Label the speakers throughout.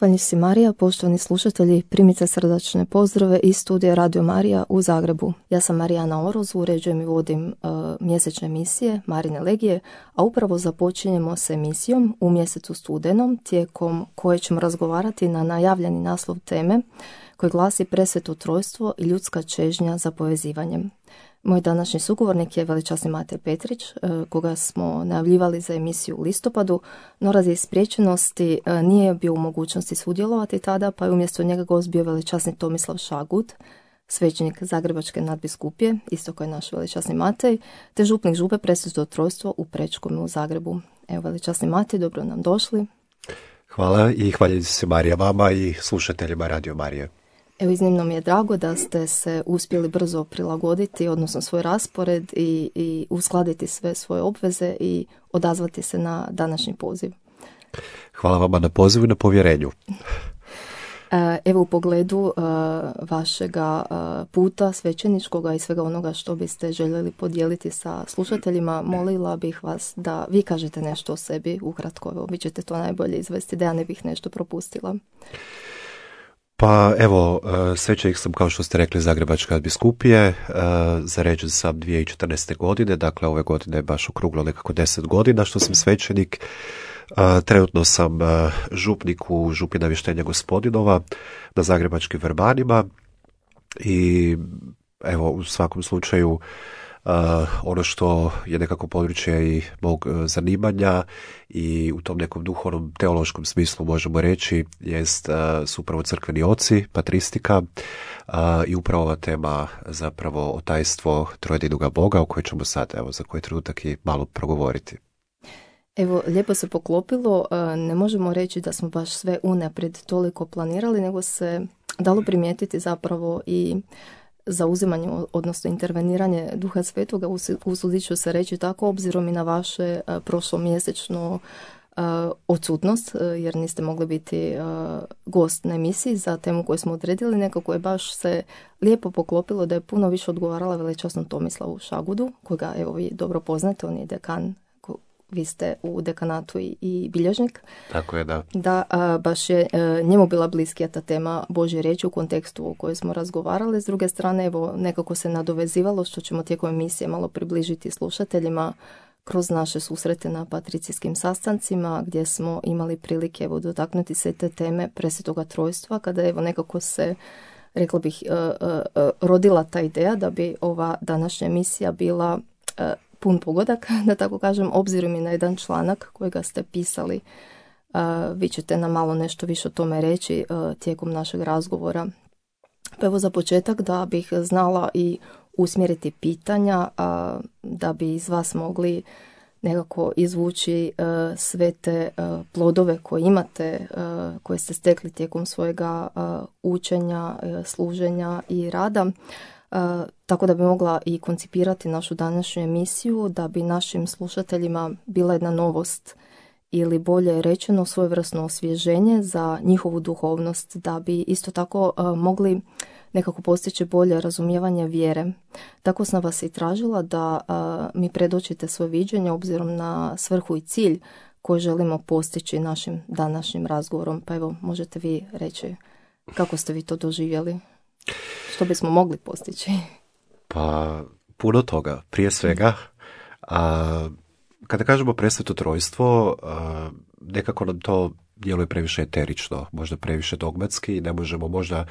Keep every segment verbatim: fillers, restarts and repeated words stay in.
Speaker 1: Zahvalni si Marija, poštovani slušatelji, primite srdačne pozdrave iz studija Radio Marija u Zagrebu. Ja sam Marijana Oroz, uređujem i vodim uh, mjesečne emisije Marine Legije, a upravo započinjemo s emisijom u mjesecu studenom, tijekom koje ćemo razgovarati na najavljeni naslov teme koji glasi Presveto trojstvo i ljudska čežnja za povezivanjem. Moj današnji sugovornik je veličasni Matej Petrić, koga smo najavljivali za emisiju u listopadu, no radi spriječenosti nije bio u mogućnosti sudjelovati tada, pa je umjesto njega gost bio veličasni Tomislav Šagud, svećenik Zagrebačke nadbiskupije, isto kao je naš veličasni Matej, te župnik župe Presveto trojstvo u Prečkome u Zagrebu. Evo, veličasni Matej, dobro nam došli.
Speaker 2: Hvala i hvaljujem se Marija vama i slušateljima Radio Marije.
Speaker 1: Evo, iznimno mi je drago da ste se uspjeli brzo prilagoditi, odnosno svoj raspored i, i uskladiti sve svoje obveze i odazvati se na današnji poziv.
Speaker 2: Hvala vama na pozivu i na povjerenju.
Speaker 1: Evo, u pogledu uh, vašega uh, puta svećeničkoga i svega onoga što biste željeli podijeliti sa slušateljima, molila bih vas da vi kažete nešto o sebi ukratko. Evo, vi ćete to najbolje izvesti, da ja ne bih nešto propustila.
Speaker 2: Pa evo, svećenik sam, kao što ste rekli, Zagrebačke nadbiskupije, zaređen sam dvije tisuće četrnaeste. godine, dakle ove godine je baš okruglo nekako deset godina što sam svećenik. Trenutno sam župnik u župi Navještenja Gospodinova na Zagrebačkim Vrbanima i evo, u svakom slučaju Uh, ono što je nekako područje i mog uh, zanimanja i u tom nekom duhovnom teološkom smislu možemo reći jest, uh, su upravo crkveni oci, patristika uh, i upravo ova tema zapravo otajstvo trojedinoga Boga o kojoj ćemo sad evo za koji trenutak i malo progovoriti.
Speaker 1: Evo, lijepo se poklopilo, ne možemo reći da smo baš sve unaprijed toliko planirali, nego se dalo primijetiti zapravo i zauzimanje, odnosno interveniranje Duha Svetoga, usudit ću se reći tako, obzirom i na vaše uh, prošlomjesečno uh, odsutnost, uh, jer niste mogli biti uh, gost na emisiji za temu koju smo odredili, nekako je baš se lijepo poklopilo da je puno više odgovarala veličasnom Tomislavu Šagudu, kojega evo vi dobro poznate, on je dekan, vi ste u dekanatu i, i bilježnik.
Speaker 2: Tako je, da.
Speaker 1: Da, a, baš je a, njemu bila bliskija ta tema Božje riječi u kontekstu o kojoj smo razgovarali. S druge strane, evo, nekako se nadovezivalo, što ćemo tijekom emisije malo približiti slušateljima kroz naše susrete na patricijskim sastancima, gdje smo imali prilike evo, dotaknuti se te teme Presvetoga trojstva, kada evo nekako se, rekla bih, a, a, a, rodila ta ideja da bi ova današnja emisija bila a, pun pogodak, da tako kažem, obzirom i na jedan članak kojega ste pisali. Uh, vi ćete nam malo nešto više o tome reći uh, tijekom našeg razgovora. Pa evo za početak da bih znala i usmjeriti pitanja, uh, da bi iz vas mogli nekako izvući uh, sve te uh, plodove koje imate, uh, koje ste stekli tijekom svojega uh, učenja, uh, služenja i rada. Uh, tako da bi mogla i koncipirati našu današnju emisiju, da bi našim slušateljima bila jedna novost ili bolje rečeno svojevrsno osvježenje za njihovu duhovnost, da bi isto tako uh, mogli nekako postići bolje razumijevanje vjere. Tako sam vas i tražila da uh, mi predočite svoje viđenje obzirom na svrhu i cilj koji želimo postići našim današnjim razgovorom. Pa evo, možete vi reći kako ste vi to doživjeli? Što bismo mogli postići?
Speaker 2: Pa, puno toga. Prije svega, a, kada kažemo Presveto trojstvo, a, nekako nam to djeluje previše eterično, možda previše dogmatski i ne možemo možda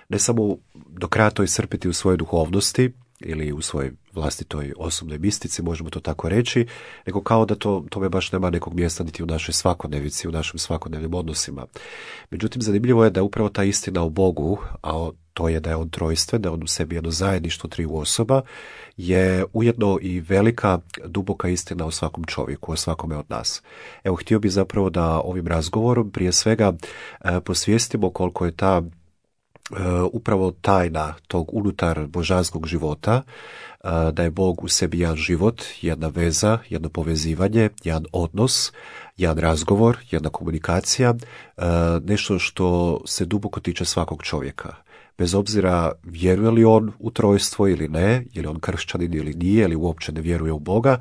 Speaker 2: ne samo do kraja to iscrpiti u svojoj duhovnosti ili u svojoj vlastitoj osobnoj mistici, možemo to tako reći, nego kao da to, tome baš nema nekog mjesta niti u našoj svakodnevici, u našim svakodnevnim odnosima. Međutim, zanimljivo je da upravo ta istina o Bogu, a to je da je on trojstven, da on u sebi jedno zajedništvo triju osoba, je ujedno i velika, duboka istina o svakom čovjeku, o svakome od nas. Evo, htio bih zapravo da ovim razgovorom prije svega eh, posvijestimo koliko je ta Uh, upravo tajna tog unutar božanskog života, uh, da je Bog u sebi jedan život, jedna veza, jedno povezivanje, jedan odnos, jedan razgovor, jedna komunikacija, uh, nešto što se duboko tiče svakog čovjeka. bez obzira vjeruje li on u trojstvo ili ne, je li on kršćanin ili nije, ili uopće ne vjeruje u Boga,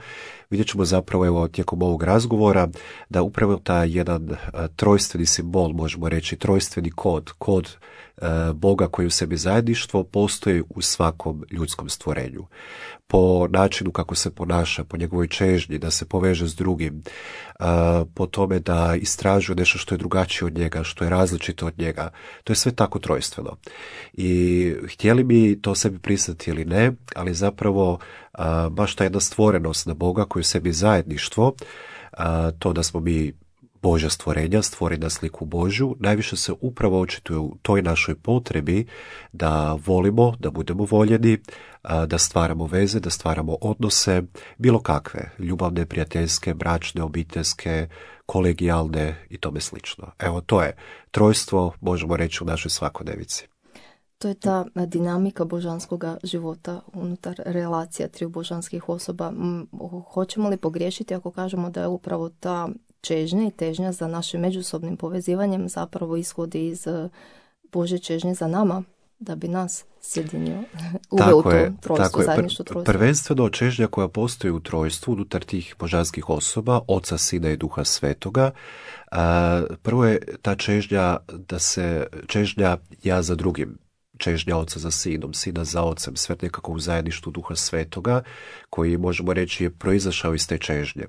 Speaker 2: vidjet ćemo zapravo evo, tijekom ovog razgovora da upravo taj jedan a, trojstveni simbol, možemo reći trojstveni kod, kod a, Boga koji u sebi zajedništvo postoji u svakom ljudskom stvorenju. Po načinu kako se ponaša, po njegovoj čežnji da se poveže s drugim, a, po tome da istražuje nešto što je drugačije od njega, što je različito od njega. To je sve tako trojstveno. I htjeli mi to sebi priznati ili ne, ali zapravo a, baš ta jedna stvorenost na Boga koji u sebi zajedništvo, a, to da smo mi Božja stvorenja, stvoreni na sliku Božju, najviše se upravo očituje u toj našoj potrebi da volimo, da budemo voljeni, da stvaramo veze, da stvaramo odnose, bilo kakve, ljubavne, prijateljske, bračne, obiteljske, kolegijalne i tome slično. Evo, to je trojstvo, možemo reći, u našoj svakodnevici.
Speaker 1: To je ta dinamika božanskog života unutar relacija triju božanskih osoba. Hoćemo li pogriješiti ako kažemo da je upravo ta čežnja i težnja za našim međusobnim povezivanjem zapravo ishodi iz Božje čežnje za nama, da bi nas sjedinio, uveo u to trojstvo, zajedništvo trojstvo.
Speaker 2: Prvenstveno čežnja koja postoji u trojstvu unutar tih božanskih osoba, Oca, Sina i Duha Svetoga. A, prvo je ta čežnja da se čežnja ja za drugim, čežnja Oca za Sinom, Sina za Ocem, sve nekako u zajedništvu Duha Svetoga, koji možemo reći je proizašao iz te čežnje.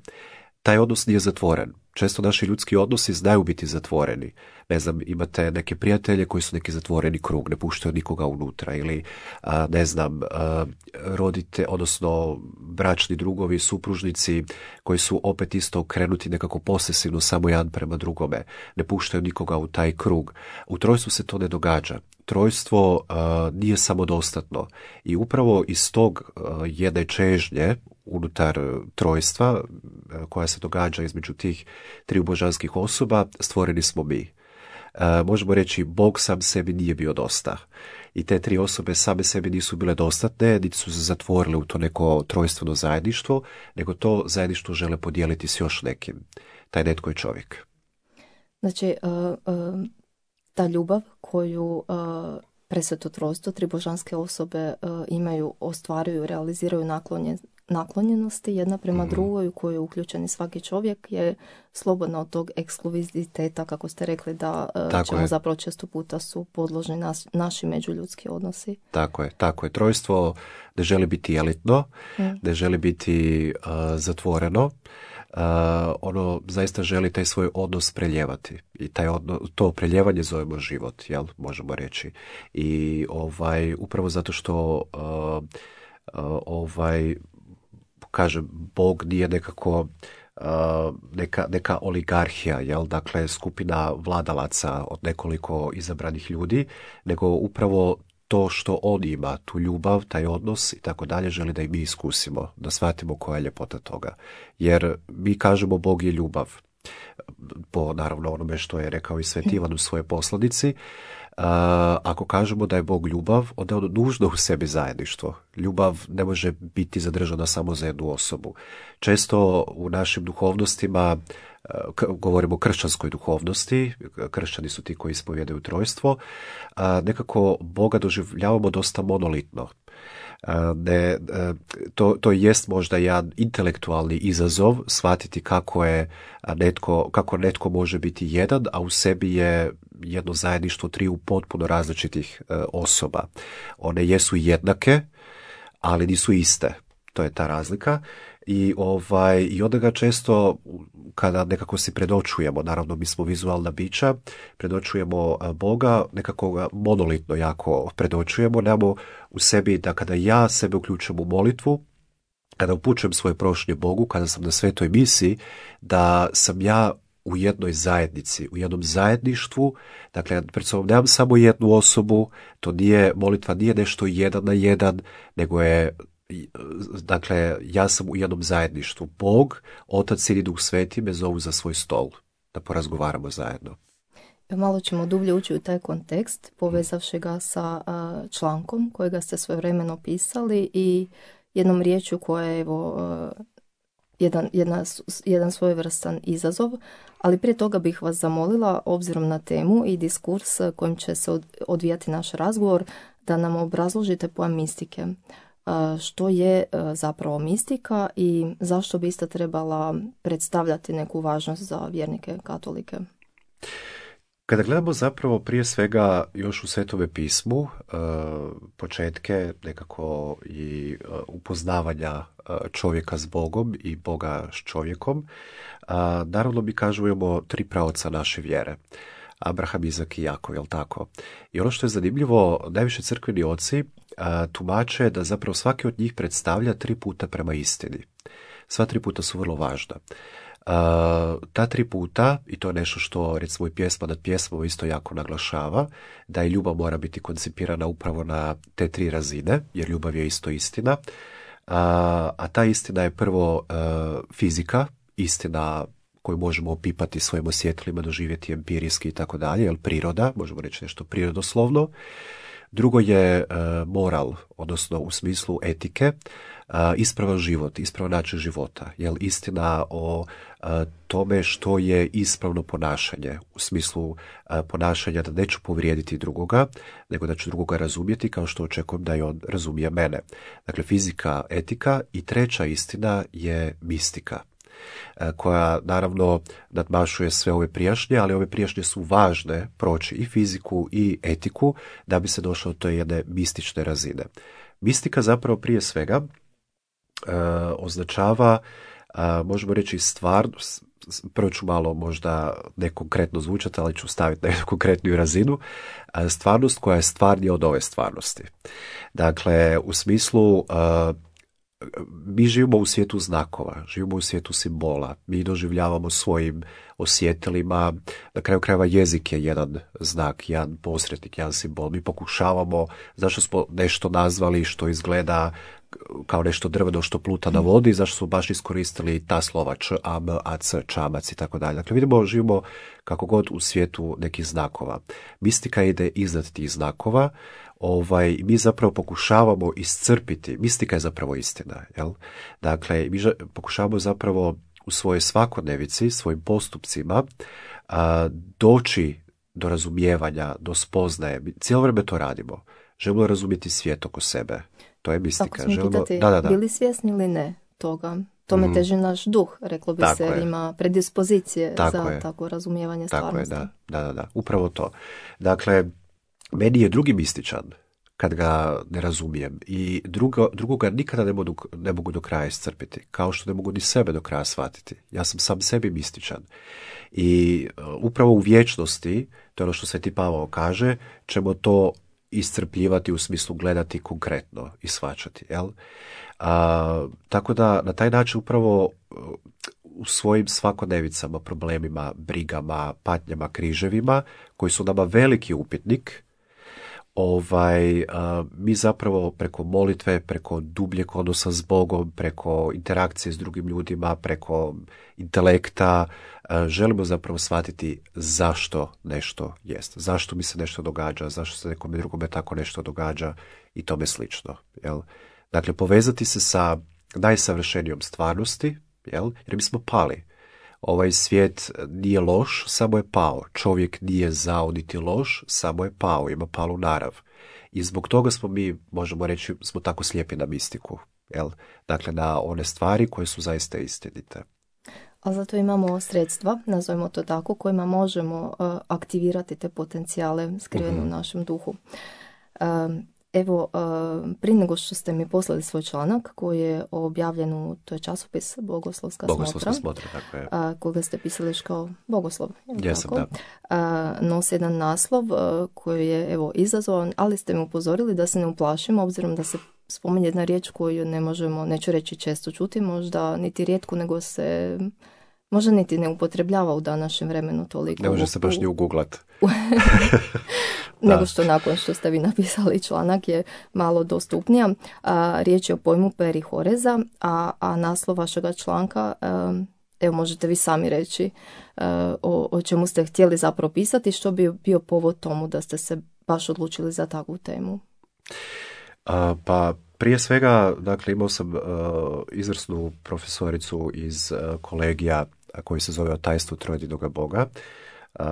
Speaker 2: Taj odnos nije zatvoren. Često naši ljudski odnosi znaju biti zatvoreni. Ne znam, imate neke prijatelje koji su neki zatvoreni krug, ne puštaju nikoga unutra, ili a, ne znam, a, rodite, odnosno bračni drugovi, supružnici koji su opet isto okrenuti nekako posesivno samo jedan prema drugome, ne puštaju nikoga u taj krug. U trojstvu se to ne događa. Trojstvo a, nije samodostatno i upravo iz tog a, jedne čežnje unutar trojstva koja se događa između tih triju božanskih osoba, stvoreni smo mi. E, možemo reći, Bog sam sebi nije bio dosta. I te tri osobe same sebi nisu bile dostatne, niti su se zatvorile u to neko trojstveno zajedništvo, nego to zajedništvo žele podijeliti s još nekim. Taj netko je čovjek.
Speaker 1: Znači, uh, uh, ta ljubav koju uh, presveto trojstvo, tri božanske osobe uh, imaju, ostvaruju, realiziraju naklonje, naklonjenosti jedna prema mm-hmm. drugoj u kojoj je uključeni svaki čovjek je slobodna od tog ekskluziviteta, kako ste rekli, da uh, ćemo je. zapravo često puta su podložni nas, naši međuljudski odnosi.
Speaker 2: Tako je, tako je. Trojstvo ne želi biti elitno, mm. ne želi biti uh, zatvoreno, uh, ono zaista želi taj svoj odnos preljevati i taj odnos, to preljevanje zovemo život, jel, možemo reći. I ovaj, upravo zato što uh, uh, ovaj kažem, Bog nije nekako uh, neka, neka oligarhija, jel? Dakle, skupina vladalaca od nekoliko izabranih ljudi, nego upravo to što on ima, tu ljubav, taj odnos i tako dalje, želi da i mi iskusimo, da shvatimo koja je ljepota toga. Jer mi kažemo Bog je ljubav, po naravno onome što je rekao i Sveti Ivan u svojoj poslanici. Uh, ako kažemo da je Bog ljubav, onda je ono nužno u sebi zajedništvo. Ljubav ne može biti zadržana samo za jednu osobu. Često u našim duhovnostima, uh, k- govorimo o kršćanskoj duhovnosti, kršćani su ti koji ispovjedaju trojstvo, uh, nekako Boga doživljavamo dosta monolitno. Ne, to, to jest možda jedan intelektualni izazov shvatiti kako je netko, kako netko može biti jedan, a u sebi je jedno zajedništvo triju potpuno različitih osoba. One jesu jednake, ali nisu iste. To je ta razlika. I, ovaj, i onda ga često, kada nekako si predočujemo, naravno mi smo vizualna bića, predočujemo Boga, nekako ga monolitno jako predočujemo, nemamo u sebi da kada ja sebe uključujem u molitvu, kada upućujem svoje prošnje Bogu, kada sam na svetoj misiji, da sam ja u jednoj zajednici, u jednom zajedništvu, dakle pred sobom nemam samo jednu osobu, to nije, molitva nije nešto jedan na jedan, nego je, dakle, ja sam u jednom zajedništvu. Bog, Otac, Sin i Duh Sveti me zovu za svoj stol, da porazgovaramo zajedno.
Speaker 1: Malo ćemo dublje ući u taj kontekst, povezavši ga sa uh, člankom kojega ste svojevremeno pisali i jednom riječju koja je evo, uh, jedan, jedna, jedan svojevrstan izazov, ali prije toga bih vas zamolila, obzirom na temu i diskurs kojim će se odvijati naš razgovor, da nam obrazložite pojam mistike. Što je zapravo mistika i zašto bi ista trebala predstavljati neku važnost za vjernike katolike?
Speaker 2: Kada gledamo zapravo prije svega još u Svetome pismu, početke nekako i upoznavanja čovjeka s Bogom i Boga s čovjekom, naravno mi kažemo imamo tri praoca naše vjere. Abraham, Izak i Jakov, jel tako? I ono što je zanimljivo, najviše crkveni oci tumače da zapravo svaki od njih predstavlja tri puta prema istini. Sva tri puta su vrlo važna. Uh, ta tri puta, i to je nešto što recimo i pjesma nad pjesmom isto jako naglašava, da i ljubav mora biti koncipirana upravo na te tri razine, jer ljubav je isto istina. Uh, a ta istina je prvo uh, fizika, istina koju možemo opipati svojim osjetilima, doživjeti empirijski i tako dalje, jer priroda, možemo reći nešto prirodoslovno. Drugo je uh, moral, odnosno u smislu etike, uh, ispravan život, ispravan način života, jel istina o uh, tome što je ispravno ponašanje, u smislu uh, ponašanja da neću povrijediti drugoga, nego da ću drugoga razumjeti kao što očekujem da i on razumije mene. Dakle, fizika, etika i treća istina je mistika, koja naravno nadmašuje sve ove prijašnje, ali ove prijašnje su važne proći i fiziku i etiku da bi se došlo do jedne mistične razine. Mistika zapravo prije svega e, označava, e, možemo reći stvarnost, prvo ću malo možda nekonkretno zvučati, ali ću staviti na jednu konkretniju razinu, e, stvarnost koja je stvarnija od ove stvarnosti. Dakle, u smislu e, mi živimo u svijetu znakova, živimo u svijetu simbola, mi doživljavamo svojim osjetilima, na kraju krajeva jezik je jedan znak, jedan posrednik, jedan simbol. Mi pokušavamo, zašto smo nešto nazvali što izgleda kao nešto drveno što pluta na vodi, zašto smo baš iskoristili ta slova č, a, m, a, c, čamac i tako dalje. Dakle, vidimo, živimo kako god u svijetu nekih znakova. Mistika ide iznad tih znakova. Ovaj, mi zapravo pokušavamo iscrpiti, mistika je zapravo istina, jel? Dakle, mi pokušavamo zapravo u svojoj svakodnevici, svojim postupcima a, doći do razumijevanja, do spoznaje. Mi cijelo vrijeme to radimo. Želimo razumjeti svijet oko sebe. To je mistika.
Speaker 1: Ako smo pitati,
Speaker 2: da, da, da.
Speaker 1: bili svjesni ili ne toga? Tome mm. teži naš duh, reklo bi tako se, je. Ima predispozicije tako za je. Tako razumijevanje
Speaker 2: tako
Speaker 1: stvarnosti.
Speaker 2: Je, da, da, da, upravo to. Dakle, meni je drugi mističan kad ga ne razumijem i drugo, drugoga nikada ne mogu, ne mogu do kraja iscrpiti, kao što ne mogu ni sebe do kraja shvatiti. Ja sam sam sebi mističan. I uh, upravo u vječnosti, to je ono što Sveti Pavao kaže, ćemo to iscrpljivati u smislu gledati konkretno i shvaćati. Jel? A, tako da na taj način upravo uh, u svojim svakodnevicama, problemima, brigama, patnjama, križevima, koji su nama veliki upitnik, Ovaj, a, mi zapravo preko molitve, preko dubljeg odnosa s Bogom, preko interakcije s drugim ljudima, preko intelekta, a, želimo zapravo shvatiti zašto nešto jest, zašto mi se nešto događa, zašto se nekome drugome tako nešto događa i tome slično. Jel? Dakle, povezati se sa najsavršenijom stvarnosti, jel? Jer mi smo pali. Ovaj svijet nije loš, samo je pao. Čovjek nije zao niti loš, samo je pao, ima palu narav. I zbog toga smo mi, možemo reći, smo tako slijepi na mistiku. Jel? Dakle, na one stvari koje su zaista istinite.
Speaker 1: A zato imamo sredstva, nazovimo to tako, kojima možemo uh, aktivirati te potencijale skrivene uh-huh. u našem duhu. Uh, Evo, prije nego što ste mi poslali svoj članak koji je objavljen u, to je časopis Bogoslovska,
Speaker 2: Bogoslovska
Speaker 1: smotra,
Speaker 2: smotra tako je.
Speaker 1: koga ste pisali još kao bogoslov.
Speaker 2: Jesam, da.
Speaker 1: Nosi jedan naslov koji je evo izazovan, ali ste mi upozorili da se ne uplašimo, obzirom da se spominje jedna riječ koju ne možemo, neću reći često čuti, možda niti rijetko, nego se možda niti ne upotrebljava u današnjem vremenu toliko.
Speaker 2: Ne može se baš ni uguglat.
Speaker 1: nego što nakon što ste vi napisali članak je malo dostupnija. A, riječ je o pojmu perihoreza, a, a naslov vašega članka, a, evo možete vi sami reći a, o, o čemu ste htjeli zapravo pisati, što bi bio povod tomu da ste se baš odlučili za takvu temu.
Speaker 2: A, pa prije svega, dakle, imao sam uh, izvrsnu profesoricu iz uh, kolegija koji se zove O tajstvu trojedinoga Boga, uh,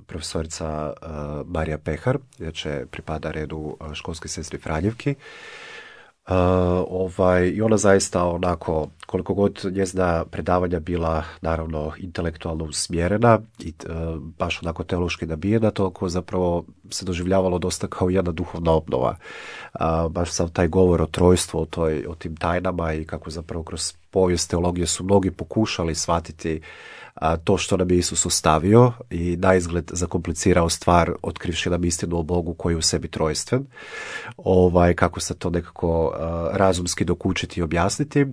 Speaker 2: profesorica uh, Marija Pehar, inače pripada redu uh, školske sestri Franjevki. Uh, ovaj, I ona zaista onako, koliko god njezina predavanja bila naravno intelektualno usmjerena i uh, baš onako teološki nabijena, toliko zapravo se doživljavalo dosta kao jedna duhovna obnova. Uh, baš sam taj govor o trojstvu, o, toj, o tim tajnama i kako zapravo kroz povijest teologije su mnogi pokušali shvatiti a, to što nam je Isus ostavio i naizgled zakomplicirao stvar otkrivši nam istinu o Bogu koji je u sebi trojstven, ovaj, kako se to nekako a, razumski dokučiti i objasniti.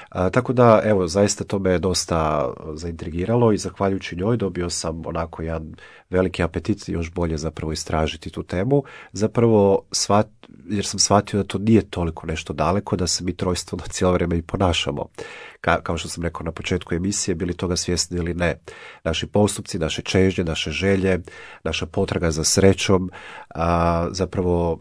Speaker 2: A, tako da, evo, zaista to me dosta zaintrigiralo i zahvaljujući njoj dobio sam onako jedan veliki apetit još bolje zapravo istražiti tu temu, zapravo shvat, jer sam shvatio da to nije toliko nešto daleko, da se mi trojstveno cijelo vrijeme i ponašamo. Ka, kao što sam rekao na početku emisije, bili toga svjesni ili ne. Naši postupci, naše čežnje, naše želje, naša potraga za srećom, a, zapravo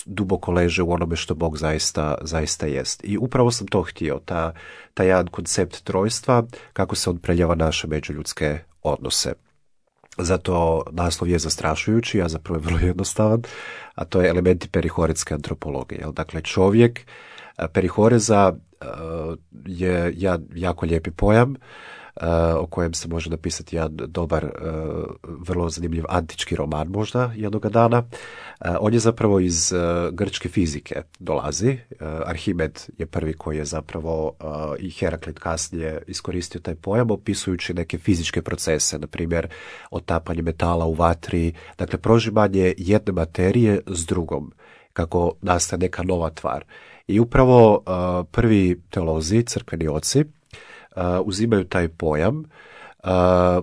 Speaker 2: duboko leže u onome što Bog zaista, zaista jest. I upravo sam to htio, ta, ta jedan koncept trojstva, kako se on preljeva naše međuljudske odnose. Zato naslov je zastrašujući, a zapravo je vrlo jednostavan, a to je elementi perihoretske antropologije. Dakle, čovjek, perihoreza je jako lijepi pojam o kojem se može napisati jedan dobar, vrlo zanimljiv antički roman možda jednoga dana. On je zapravo iz grčke fizike dolazi. Arhimed je prvi koji je zapravo i Heraklit kasnije iskoristio taj pojam opisujući neke fizičke procese, na primjer otapanje metala u vatri, dakle prožimanje jedne materije s drugom, kako nastaje neka nova tvar. I upravo uh, prvi teolozi, crkveni oci, uh, uzimaju taj pojam, uh,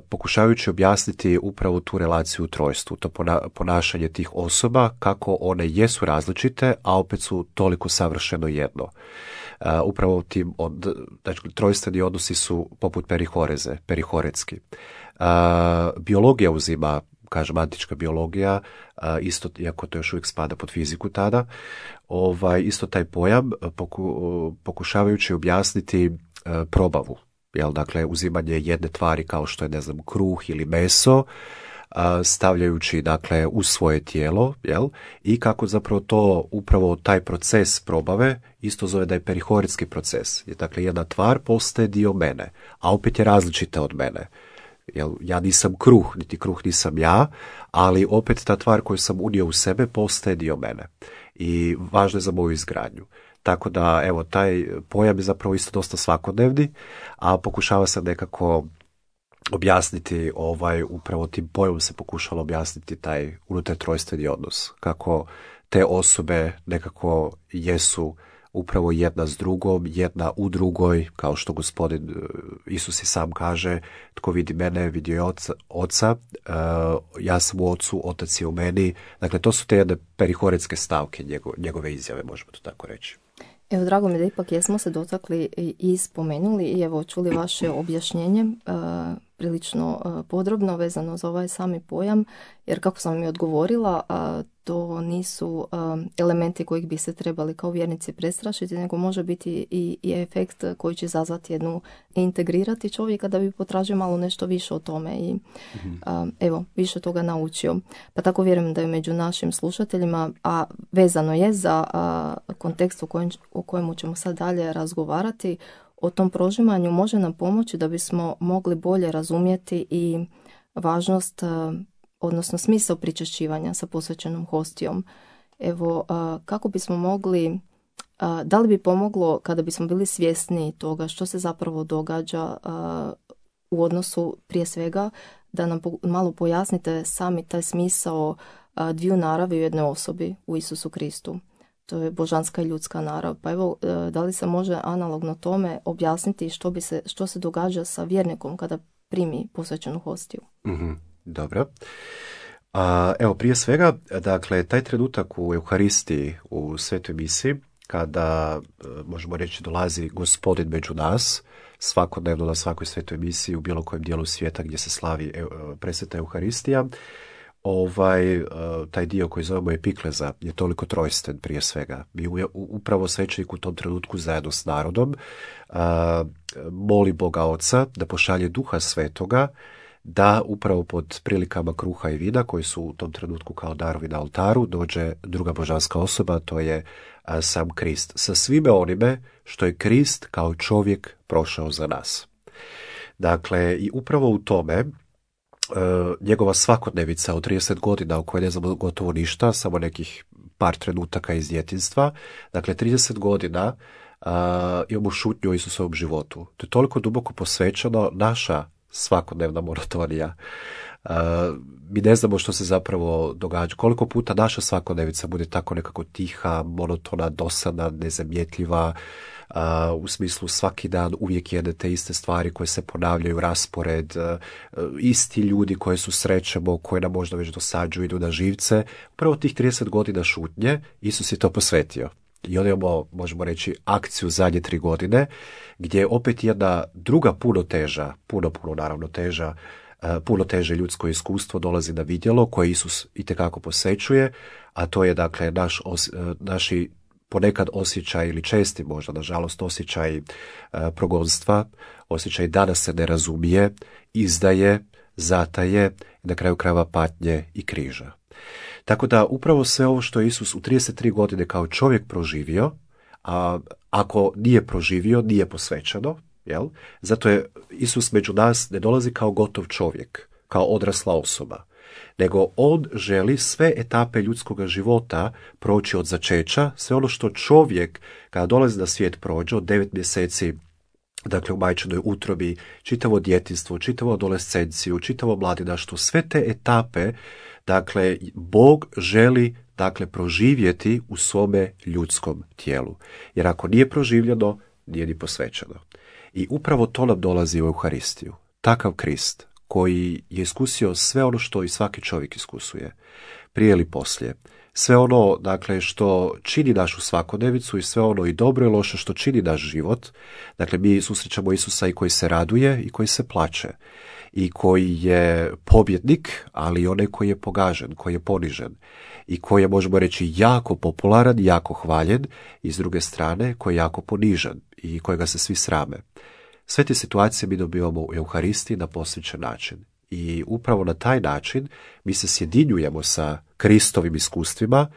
Speaker 2: pokušavajući objasniti upravo tu relaciju u trojstvu, to pona- ponašanje tih osoba, kako one jesu različite, a opet su toliko savršeno jedno. Uh, upravo tim od, znači, trojstveni odnosi su poput perihoreze, perihoretski. Uh, biologija uzima, kažem, antička biologija, isto, iako to još uvijek spada pod fiziku tada, ovaj, isto taj pojam poku, pokušavajući objasniti probavu, jel, dakle, uzimanje jedne tvari kao što je, ne znam, kruh ili meso, stavljajući, dakle, u svoje tijelo, jel, i kako zapravo to, upravo taj proces probave, isto zove da je perihoretski proces. Je, dakle, jedna tvar postaje dio mene, a opet je različita od mene. Jel, ja nisam kruh, niti kruh nisam ja, ali opet ta tvar koju sam unio u sebe postaje dio mene i važno je za moju izgradnju. Tako da, evo, taj pojam je zapravo isto dosta svakodnevni, a pokušava se nekako objasniti, ovaj, upravo tim pojmom se pokušalo objasniti taj unutar trojstveni odnos, kako te osobe nekako jesu upravo jedna s drugom, jedna u drugoj, kao što gospodin Isus i sam kaže, tko vidi mene, vidi je oca, oca uh, ja sam u ocu, otac je u meni. Dakle, to su te jedne perihoretske stavke njegove, njegove izjave, možemo to tako reći.
Speaker 1: Evo, drago mi da ipak jesmo se dotakli i spomenuli i evo čuli vaše objašnjenje uh, prilično uh, podrobno vezano za ovaj sami pojam, jer kako sam mi odgovorila, uh, to nisu um, elementi kojih bi se trebali kao vjernici prestrašiti, nego može biti i, i efekt koji će izazvati jednu, integrirati čovjeka da bi potražio malo nešto više o tome i mm-hmm. um, evo, više toga naučio. Pa tako vjerujem da je među našim slušateljima, a vezano je za uh, kontekst u kojem, o kojemu ćemo sad dalje razgovarati, o tom prožimanju može nam pomoći da bismo mogli bolje razumjeti i važnost, odnosno smisao pričešćivanja sa posvećenom hostijom. Evo, kako bismo mogli, da li bi pomoglo kada bismo bili svjesni toga što se zapravo događa u odnosu prije svega, da nam malo pojasnite sami taj smisao dviju naravi u jednoj osobi, u Isusu Kristu. To je božanska i ljudska narav. Pa evo, da li se može analogno tome objasniti što, bi se, što se događa sa vjernikom kada primi posvećenu hostiju?
Speaker 2: Mm-hmm. Dobro. A, evo, prije svega, dakle, taj trenutak u Euharistiji, u svetoj misi, kada, možemo reći, dolazi gospodin među nas, svakodnevno na svakoj svetoj misiji u bilo kojem dijelu svijeta gdje se slavi presveta Euharistija, ovaj, taj dio koji zovemo epikleza je toliko trojsten prije svega. Mi upravo svećenik u tom trenutku zajedno s narodom moli Boga Oca da pošalje Duha Svetoga, da upravo pod prilikama kruha i vina koji su u tom trenutku kao darovi na oltaru dođe druga božanska osoba, to je sam Krist. Sa svime onime što je Krist kao čovjek prošao za nas. Dakle, i upravo u tome njegova svakodnevica od trideset godina u kojoj ne znamo gotovo ništa, samo nekih par trenutaka iz djetinjstva, dakle trideset godina uh, imamo šutnju o Isusovom životu. To je toliko duboko posvećeno, naša svakodnevna monotonija. Uh, mi ne znamo što se zapravo događa. Koliko puta naša svakodnevica bude tako nekako tiha, monotona, dosadna, nezamjetljiva, uh, u smislu svaki dan uvijek jedne te iste stvari koje se ponavljaju, raspored, uh, isti ljudi koje susrećemo, koje nam možda već dosađuju, idu na živce. Upravo tih trideset godina šutnje Isus je to posvetio. I onda imamo, možemo reći, akciju zadnje tri godine, gdje je opet jedna druga puno teža, puno, puno naravno teža, puno teže ljudsko iskustvo dolazi na vidjelo koje Isus itekako posvećuje, a to je dakle naš, os, naši ponekad osjećaj ili česti možda, nažalost, osjećaj uh, progonstva, osjećaj da nas se ne razumije, izdaje, zataje, na kraju krajeva patnje i križa. Tako da upravo sve ovo što je Isus u trideset tri godine kao čovjek proživio, a ako nije proživio, nije posvećeno, jel? Zato je Isus među nas ne dolazi kao gotov čovjek, kao odrasla osoba, nego on želi sve etape ljudskog života proći od začeća, sve ono što čovjek kada dolazi na svijet prođe od devet mjeseci, dakle u majčinoj utrobi, čitavo djetinjstvo, čitavo adolescenciju, čitavo mladinaštvo, sve te etape, dakle, Bog želi, dakle, proživjeti u svome ljudskom tijelu. Jer ako nije proživljeno, nije ni posvećeno. I upravo to nam dolazi u Euharistiju. Takav Krist koji je iskusio sve ono što i svaki čovjek iskusuje, prije ili poslije. Sve ono, dakle, što čini našu svakodnevicu i sve ono i dobro i loše što čini naš život. Dakle, mi susrećemo Isusa i koji se raduje i koji se plače. I koji je pobjednik, ali i onaj koji je pogažen, koji je ponižen. I koji je, možemo reći, jako popularan, jako hvaljen, i s druge strane koji je jako ponižen i kojega se svi srame. Sve te situacije mi dobivamo u Euharistiji na posvećen način. I upravo na taj način mi se sjedinjujemo sa Kristovim iskustvima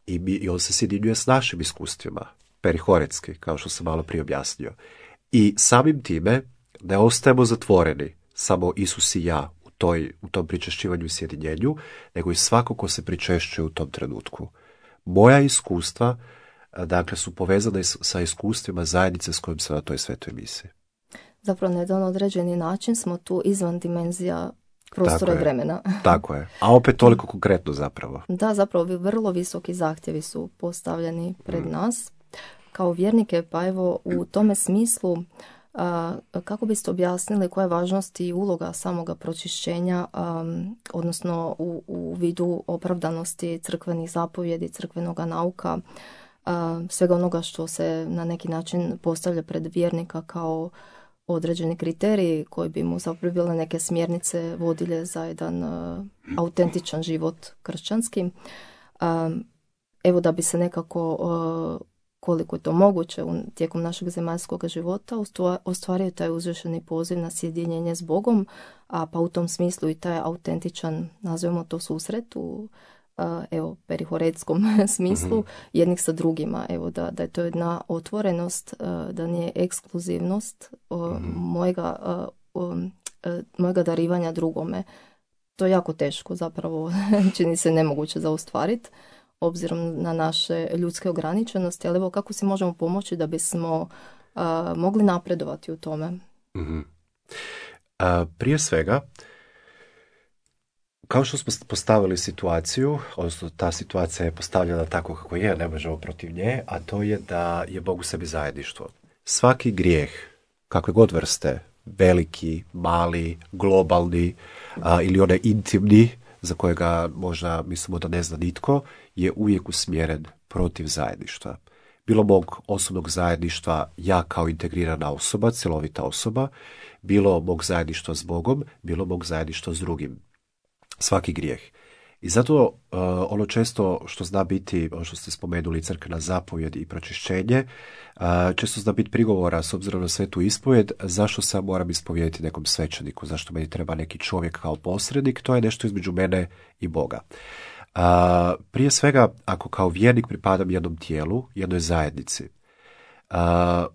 Speaker 2: i, mi, i on se sjedinjuje s našim iskustvima, perihoretski, kao što sam malo prije objasnio. I samim time ne ostajemo zatvoreni, samo Isus i ja u, toj, u tom pričešćivanju i sjedinjenju, nego i svako ko se pričešćuje u tom trenutku. Moja iskustva, dakle, su povezane sa iskustvima zajednice s kojim sam na toj svetoj misiji.
Speaker 1: Zapravo, na jedan određeni način smo tu izvan dimenzija prostora i vremena.
Speaker 2: Tako je. A opet toliko konkretno zapravo.
Speaker 1: Da, zapravo vrlo visoki zahtjevi su postavljeni pred mm. nas. Kao vjernike, pa evo u tome smislu, a, kako biste objasnili koja je važnost i uloga samoga pročišćenja, a, odnosno u, u vidu opravdanosti crkvenih zapovjedi, crkvenog nauka, a, svega onoga što se na neki način postavlja pred vjernika kao određeni kriteriji koji bi mu zapravo bile neke smjernice vodilje za jedan uh, autentičan život kršćanski. Um, evo da bi se nekako, uh, koliko je to moguće u, tijekom našeg zemaljskog života, ostvario taj uzvišeni poziv na sjedinjenje s Bogom, a pa u tom smislu i taj autentičan, nazovemo to, susret u uh, evo, perihoretskom smislu, mm-hmm. jednih sa drugima. Evo da, da je to jedna otvorenost, uh, da nije ekskluzivnost uh, mm-hmm. mojega, uh, um, uh, mojega darivanja drugome. To je jako teško, zapravo čini se nemoguće za ostvariti, obzirom na naše ljudske ograničenosti, ali evo kako si možemo pomoći da bismo uh, mogli napredovati u tome?
Speaker 2: Mm-hmm. A, prije svega, kao što smo postavili situaciju, odnosno ta situacija je postavljena tako kako je, ne možemo protiv nje, a to je da je Bog u sebi zajedništvo. Svaki grijeh, kakve god vrste, veliki, mali, globalni a, ili onaj intimni, za kojega možda mislimo da ne zna nitko, je uvijek usmjeren protiv zajedništva. Bilo mog osobnog zajedništva, ja kao integrirana osoba, cjelovita osoba, bilo mog zajedništva s Bogom, bilo mog zajedništva s drugim. Svaki grijeh. I zato uh, ono često što zna biti, ono što ste spomenuli, crkvena zapovjed i pročišćenje, uh, često zna biti prigovora s obzirom na svetu ispovjed, zašto se ja moram ispovjediti nekom svećeniku, zašto meni treba neki čovjek kao posrednik, to je nešto između mene i Boga. Uh, prije svega, ako kao vjernik pripadam jednom tijelu, jednoj zajednici, uh,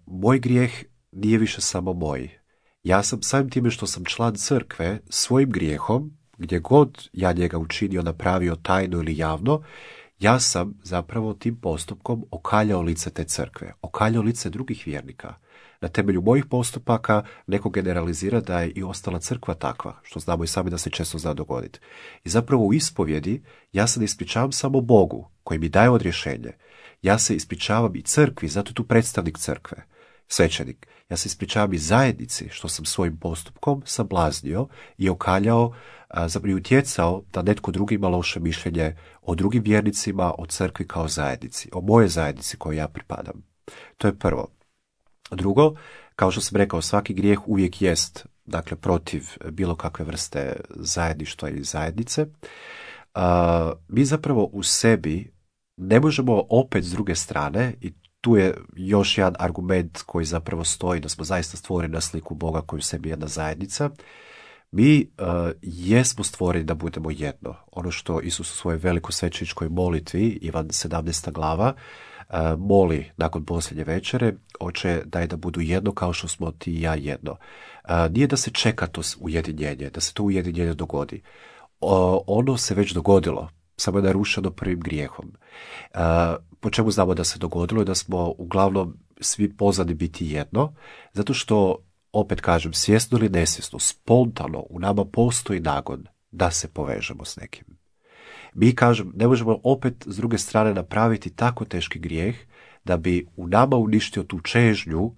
Speaker 2: moj grijeh nije više samo moj. Ja sam samim time što sam član crkve svojim grijehom, gdje god ja njega učinio, napravio tajno ili javno, ja sam zapravo tim postupkom okaljao lice te crkve, okaljao lice drugih vjernika. Na temelju mojih postupaka neko generalizira da je i ostala crkva takva, što znamo i sami da se često zna dogoditi. I zapravo u ispovjedi ja se ne ispričavam samo Bogu, koji mi daje odrješenje. Ja se ispričavam i crkvi, zato je tu predstavnik crkve, svećenik. Ja se ispričavam i zajednici, što sam svojim postupkom sablaznio i okaljao, zapravo i utjecao da netko drugi ima loše mišljenje o drugim vjernicima, o crkvi kao zajednici, o moje zajednici kojoj ja pripadam. To je prvo. Drugo, kao što sam rekao, svaki grijeh uvijek jest, dakle, protiv bilo kakve vrste zajedništva ili zajednice. Uh, mi zapravo u sebi ne možemo opet s druge strane, i tu je još jedan argument koji zapravo stoji da smo zaista stvoreni na sliku Boga koji u sebi je jedna zajednica. Mi uh, jesmo stvoreni da budemo jedno. Ono što Isus u svojoj velikosvećeničkoj molitvi, Ivan sedamnaesta glava, uh, moli nakon posljednje večere, oče daj da budu jedno kao što smo ti i ja jedno. Uh, nije da se čeka to ujedinjenje, da se to ujedinjenje dogodi. Uh, ono se već dogodilo, samo je narušeno prvim grijehom. Uh, po čemu znamo da se dogodilo i da smo uglavnom svi pozvani biti jedno, zato što, opet kažem, svjesno ili nesvjesno, spontano u nama postoji nagon da se povežemo s nekim. Mi, kažem, ne možemo opet s druge strane napraviti tako teški grijeh da bi u nama uništio tu čežnju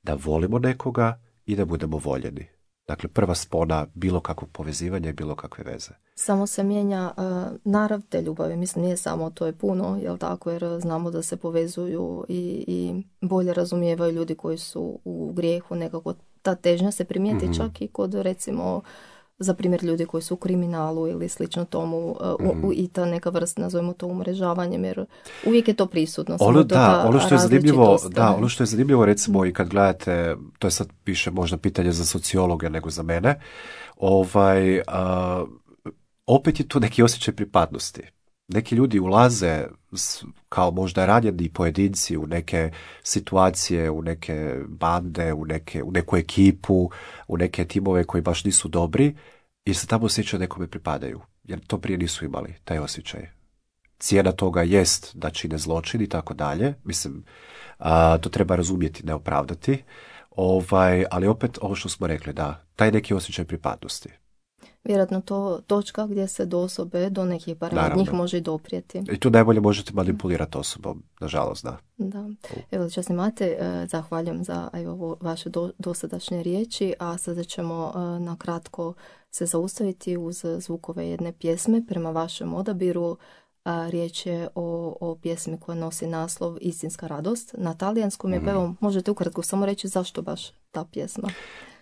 Speaker 2: da volimo nekoga i da budemo voljeni. Dakle, prva spona bilo kakvog povezivanja i bilo kakve veze.
Speaker 1: Samo se mijenja uh, narav te ljubavi. Mislim, nije samo to je puno, jel tako, jer znamo da se povezuju i, i bolje razumijevaju ljudi koji su u grijehu. Nekako ta težnja se primijeti mm-hmm. čak i kod, recimo, za primjer ljudi koji su u kriminalu ili slično tomu uh, mm-hmm. u, u, i ta neka vrsta, nazovimo to umrežavanjem, jer uvijek je to prisutno.
Speaker 2: Ono, da, ono što je zanimljivo, da, ono što je zanimljivo, recimo, i kad gledate, to je sad piše možda pitanje za sociologe nego za mene, ovaj, uh, opet je tu neki osjećaj pripadnosti. Neki ljudi ulaze kao možda ranjeni pojedinci u neke situacije, u neke bande, u, neke, u neku ekipu, u neke timove koji baš nisu dobri, jer se tamo osjećaju nekome pripadaju. Jer to prije nisu imali, taj osjećaj. Cijena toga jest da čine zločin i tako dalje. Mislim, a, to treba razumjeti, ne opravdati. Ovaj, ali opet ovo što smo rekli, da, taj neki osjećaj pripadnosti.
Speaker 1: Vjerojatno to točka gdje se do osobe, do nekih barem njih može i doprijeti.
Speaker 2: I tu najbolje možete manipulirati osobom, nažalost, da.
Speaker 1: Da. Evo, časni Mate, zahvaljujem za evo, vaše do, dosadašnje riječi, a sada ćemo na kratko se zaustaviti uz zvukove jedne pjesme prema vašem odabiru. A, riječ je o, o pjesmi koja nosi naslov Istinska radost. Na talijanskom je, mm. pa evo, možete ukratko samo reći zašto baš ta pjesma?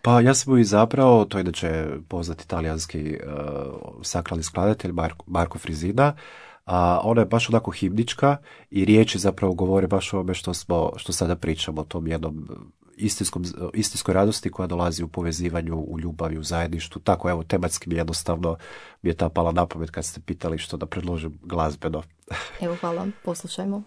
Speaker 2: Pa ja sam ju izabrao, to je inače poznati talijanski uh, sakralni skladatelj Marko, Marko Frisina, a ona je baš onako himnička i riječi zapravo govore baš o ovome što, smo, što sada pričamo, o tom jednom istinskom, istinskoj radosti koja dolazi u povezivanju, u ljubavi, u zajedništvu. Tako, evo, tematski mi jednostavno mi je ta pala na pamet kad ste pitali što da predložim glazbeno.
Speaker 1: Evo, hvala, poslušajmo.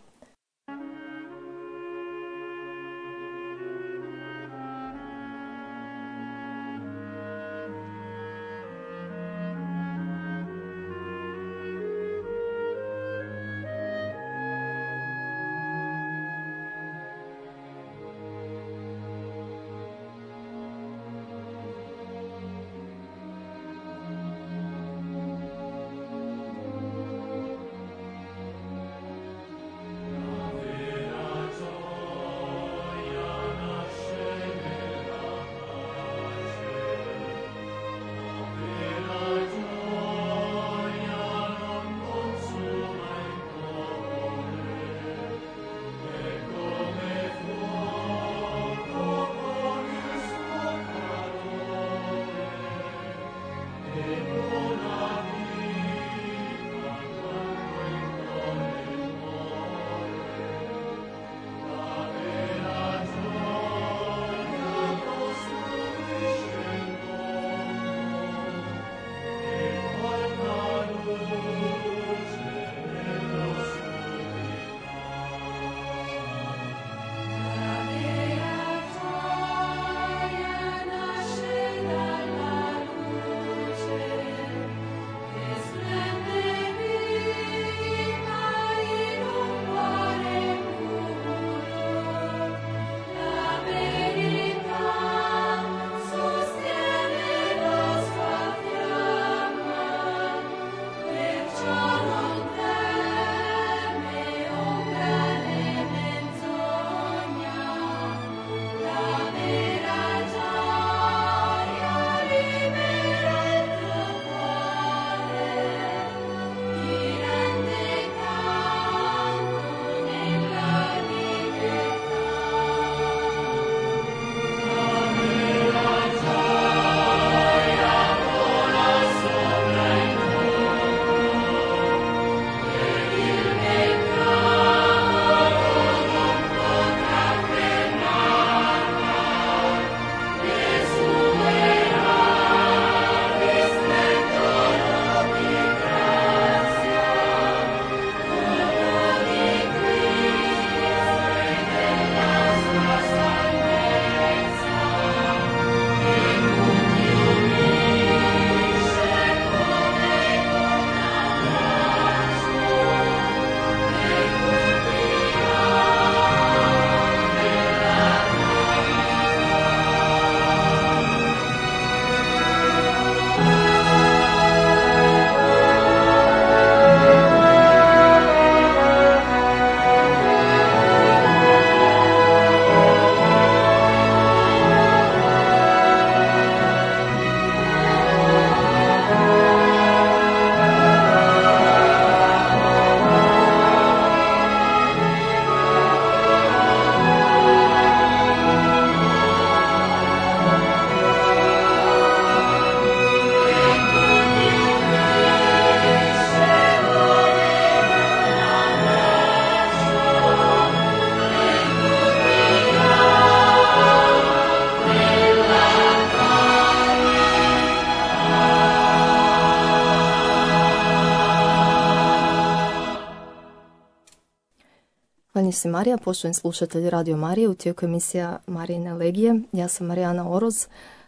Speaker 1: si Marija, poštovani slušatelji Radio Marije, u tijeku emisija Marijine legije. Ja sam Marijana Oroz,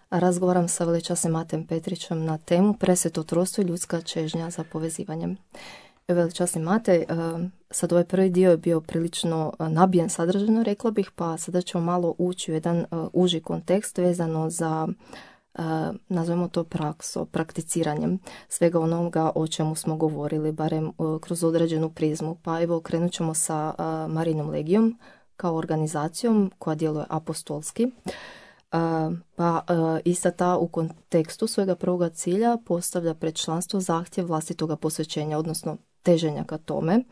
Speaker 1: a razgovaram sa veličasnim Matejem Petrićem na temu Presveto trojstvo i ljudska čežnja za povezivanjem. Veličasni Matej, sad ovaj prvi dio je bio prilično nabijen sadržajno, rekla bih, pa sada ćemo malo ući u jedan uži kontekst vezano za, nazvemo to prakso, prakticiranjem svega onoga o čemu smo govorili, barem kroz određenu prizmu. Pa evo, krenut ćemo sa Marijinom legijom kao organizacijom koja djeluje apostolski. Pa ista ta u kontekstu svojega prvoga cilja postavlja pred članstvo zahtjev vlastitoga posvećenja, odnosno teženja ka tome.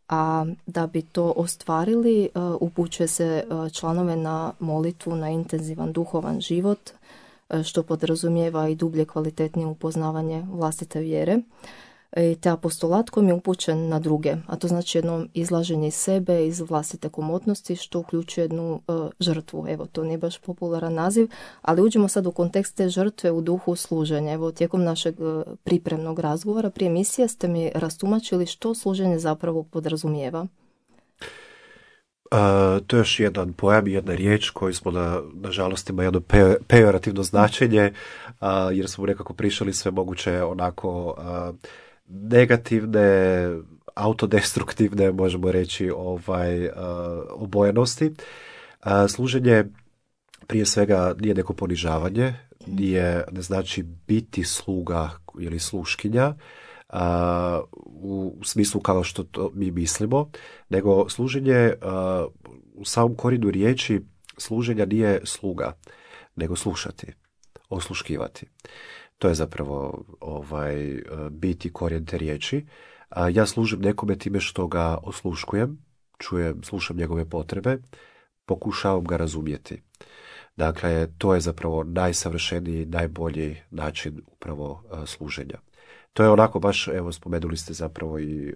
Speaker 1: A da bi to ostvarili, upućuje se članove na molitvu, na intenzivan duhovan život, što podrazumijeva i dublje kvalitetnije upoznavanje vlastite vjere. Te apostolat koji je upućen na druge, a to znači jedno izlaženje iz sebe, iz vlastite komotnosti, što uključuje jednu uh, žrtvu. Evo, to nije baš popularan naziv, ali uđemo sad u kontekst te žrtve u duhu služenja. Evo, tijekom našeg uh, pripremnog razgovora prije emisije ste mi rastumačili što služenje zapravo podrazumijeva.
Speaker 2: Uh, to je još jedan pojam i jedna riječ koju smo na, nažalost ima jedno pe, pejorativno značenje, uh, jer smo nekako prišli sve moguće onako uh, negativne, autodestruktivne, možemo reći, ovaj, uh, obojenosti. Uh, služenje prije svega nije neko ponižavanje, nije, ne znači biti sluga ili sluškinja, Uh, u smislu kao što to mi mislimo, nego služenje uh, u samom korijenu riječi služenja nije sluga, nego slušati, osluškivati. To je zapravo ovaj, uh, biti korijen te riječi. Uh, ja služim nekome time što ga osluškujem, čujem, slušam njegove potrebe, pokušavam ga razumjeti. Dakle, to je zapravo najsavršeniji, najbolji način upravo uh, služenja. To je onako baš, evo spomenuli ste zapravo i